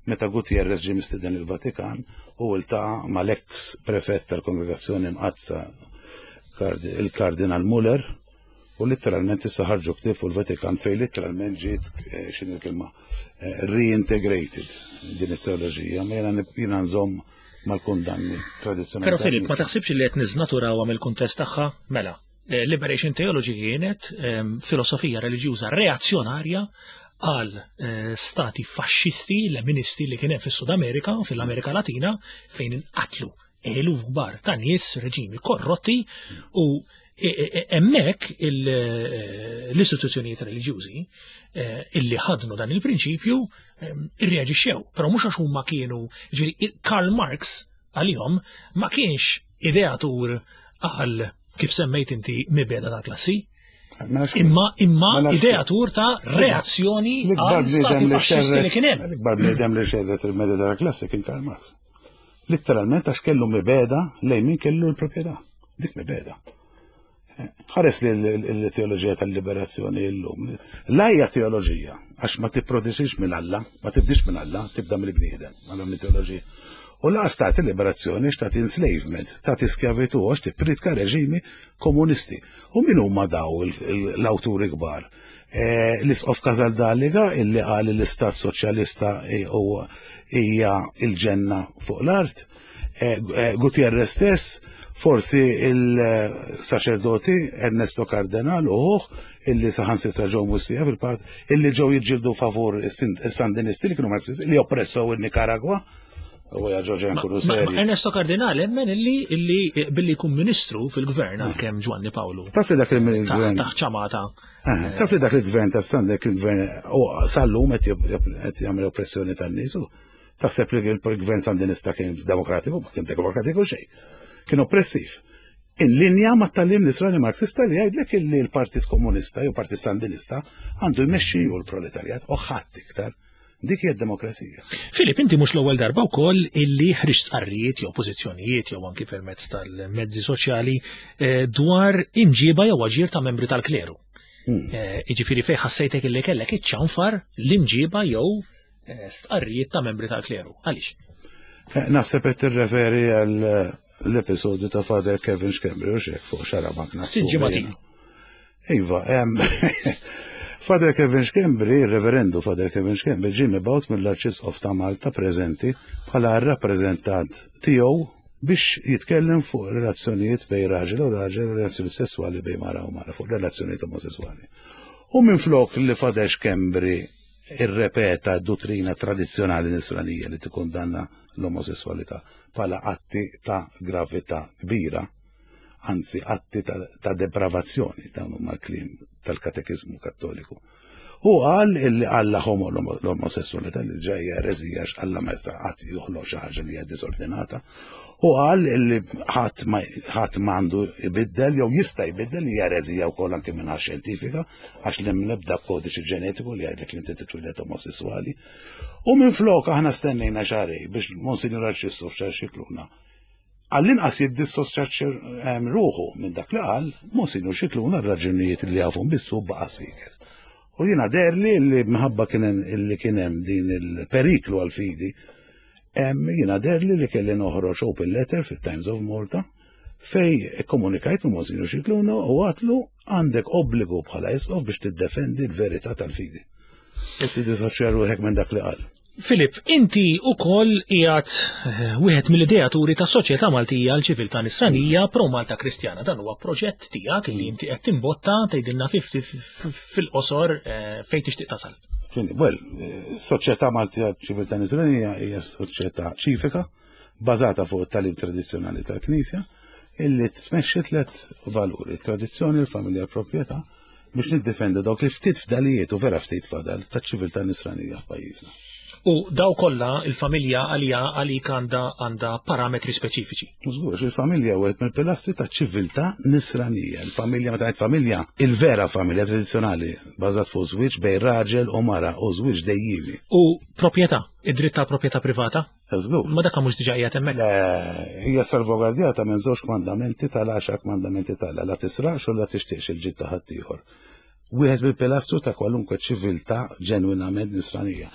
meta Gutierrez ġie mistieden il-Vatikan u ltaqa' mal-eks prefett tal-Kongregazzjoni Mqaddsa il-Kardinal Muller u letteralment issa ħarġu ktieb fuq il-Vatikan fejn letteralment ġiet eh, x'inhi l-kelma eh, reintegrated din it-teoloġija, ma jiena jiena nżomm mal-kundanni tradizzjonali. Però Filip, ma taħsibx li qed niżnaturawha mill-kuntest tagħha? Mela, eh, Liberation Theology kienet ehm, filosofija reliġjuża reazzjonarja għal eh, stati faxxisti, leministi li kien hemm fis-Sud Amerika u fil-Amerika Latina fejn inqatlu eluf kbar ta' nies, reġimi korrotti u e, e, e, hemmhekk eh, l-istituzzjonijiet reliġjużi illi ħadnu dan il-prinċipju ehm, irreaġixxew, però mhux għax huma kienu, ġifieri Karl Marx għalihom ma kienx ideatur għal kif semmejt inti mibeda ta' klassi. Mela imma imma mela ideatur ta' reazzjoni għal stati faxxisti li kien hemm. L-ikbar bniedem li xerret il-mebeda ta' klassi kien Karl Marx. Litteralment għax kellu mibeda lejn min kellu l-proprjetà. Dik mibeda. Ħares li l-teoloġija tal-liberazzjoni llum. La hija teoloġija, għax ma tipproduċix minn Alla, ma tibdix minn Alla, tibda mill-bniedem, għal mitoloġija. U laqas tagħti liberazzjoni x'tagħti enslavement, tagħti skjavitu għax tippritka reġimi komunisti. U min huma daw l-awturi kbar? Eh, l-Isqof Casaldaliga illi qal l-Istat Soċjalista hija il-ġenna fuq l-art, eh, eh, Gutierrez stess, forsi il-saċerdoti Ernesto Cardenal u ħuh illi saħansitra ġew mwissija fil-part illi ġew jiġġieldu favur is-Sandinisti li kienu Marxisti li oppressaw in-Nikaragwa. U ja ġoġa nkunu seri. Ernesto Cardinal emmen illi illi eh, billi jkun ministru fil-gvern għalkemm Ġwanni Pawlu. Taf li dak il-gvern. Taħt ċamata. Eh, taf li dak il-gvern ta' Sandek il-gvern u sal-lum qed jagħmel oppressjoni tan-nies u taħseb li l-gvern Sandinista kien demokratiku, ma kien demokratiku xejn. Kien oppressiv. In linja ma tal-lim nisrani marxista li jgħidlek illi l-Partit Komunista jew Partit Sandinista għandu jmexxi u l-proletarjat u ħadd iktar. Dik hija d-demokrazija. Filip, inti mhux l-ewwel darba wkoll illi ħriġt stqarrijiet jew pożizzjonijiet jew anki permezz tal-mezzi soċjali eh, dwar imġiba jew aġir ta' membri tal-kleru. Hmm. Eh, jiġifieri fejn ħassejtek illi kellek iċċanfar l-imġiba jew eh, stqarrijiet ta' membri tal-kleru. Għaliex? Naħseb qed tirreferi għal l-episodju ta' Father Kevin Schembri u xek fuq xarabank nassu. Iva, Father Kevin Schembri, il-reverendu Father Kevin Schembri, ġie mibgħut mill-Arċisqof ta' Malta preżenti bħala r-rappreżentant tiegħu biex jitkellem fuq relazzjonijiet bejn raġel u raġel, relazzjonijiet sesswali bejn mara u mara, fuq relazzjonijiet omosessuali. U minflok li Father Schembri irrepeta d-duttrina tradizzjonali nisranija li tikkundanna l-omosessualità bħala atti ta' gravità kbira, anzi atti ta', ta depravazzjoni, dawn huma l-kliem tal-katekiżmu kattoliku. U qal illi Alla homo l-omosessualità li ġejja ereżija għax Alla ma jista' qatt joħloq xi ħaġa li hija diżordinata. U qal illi ħadd ma ħadd ma għandu jbiddel jew jista' jbiddel li hija ereżija wkoll anke minn xjentifika għax l ebda kodiċi ġenetiku li jgħidlek li inti titwieled omosessuali. U minflok aħna stennejna xarej biex Monsignor Arċisqof Charles Scicluna għall-inqas jiddissosjaċ ehm, ruħu minn dak li qal Monsignor Scicluna r-raġunijiet li jafhom biss hu baqa' siket. U jiena deherli li minħabba kien li kien hemm din il-periklu għal-fidi. Jiena deherli li kelli noħroġ open letter fit-Times of Malta fej komunikajt ma' Monsinjur Scicluna u għatlu għandek obbligu bħala isqof biex tiddefendi l-verità tal-fidi. U tiddisoċja ruħek minn dak li qal. Filip, inti ukoll qiegħed eh, wieħed mill-ideaturi ta' Soċjetà Maltija għal Ċiviltà Nisranija Pro Malta Kristjana. Dan huwa proġett tiegħek li inti qed timbotta tgħidilna fil-qosor eh, fejn tixtieq tasal. Well, eh, Soċjetà Maltija Ċiviltà Nisranija hija soċjetà ċivika bażata fuq it-tagħlim tradizzjonali tal-Knisja illi tmexxi tliet valuri, tradizzjoni, l-familja, l-proprjetà, biex niddefendu dawk il-ftit fdalijiet u vera ftit fadal taċ-ċiviltà nisranija f'pajjiżna. U daw kollha il-familja għalija għalik għandha għandha parametri speċifiċi. Żgur, il-familja wieħed mill-pilastri taċ-ċiviltà nisranija. Il-familja meta ngħid familja, il-vera familja tradizzjonali bażat fuq żwieġ bejn raġel u mara u żwieġ dejjiemi. U proprjetà, id-dritt tal-proprjetà privata? Żgur. Ma dak mhux diġà qiegħed hemmhekk. Le, hija salvagwardjata minn żewġ kmandamenti tal-għaxar kmandamenti tal la tisraqx u la tixtieqx il-ġid ta' ħaddieħor. Wieħed mill-pilastru ta' kwalunkwe ċiviltà ġenwinament nisranija.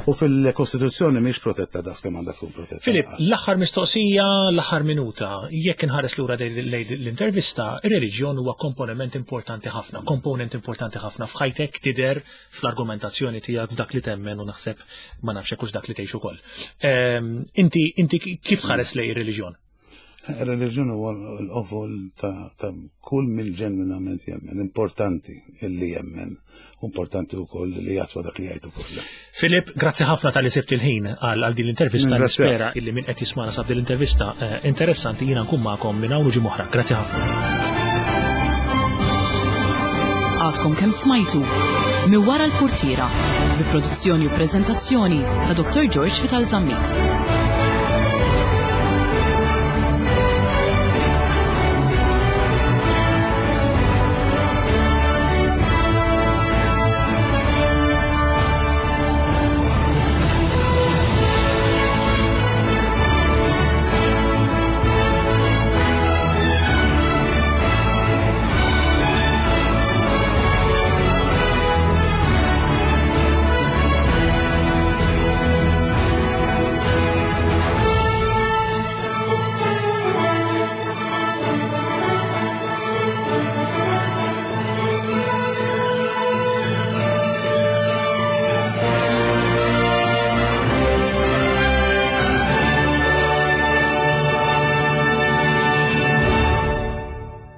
U fil-Kostituzzjoni mhix protetta daqs kemm għandha tkun protetta. Filip, l-aħħar mistoqsija, l-aħħar minuta. Jekk inħares lura lejn l-intervista, ir-reliġjon huwa komponent importanti ħafna, komponent importanti ħafna f'ħajtek tidher fl-argumentazzjoni tiegħek f'dak li temmen u naħseb ma nafx hekk dak li tgħix ukoll. Ehm, inti inti kif tħares lej ir-reliġjon? Ir-reliġjon huwa l-qofol ta' kull min ġenwinament jemmen, importanti illi jemmen, importanti wkoll li jatwa dak li jgħid ukoll. Filip, grazzi ħafna tal-li sibt il-ħin għal din l-intervista. Nispera illi min qed jismana sab din l-intervista eh, interessanti jiena nkun magħkom minn hawn u ġimgħa Grazzi ħafna. Għadkom kemm smajtu minn wara l-portiera bi produzzjoni u preżentazzjoni ta' Dr. George Vital Zammit.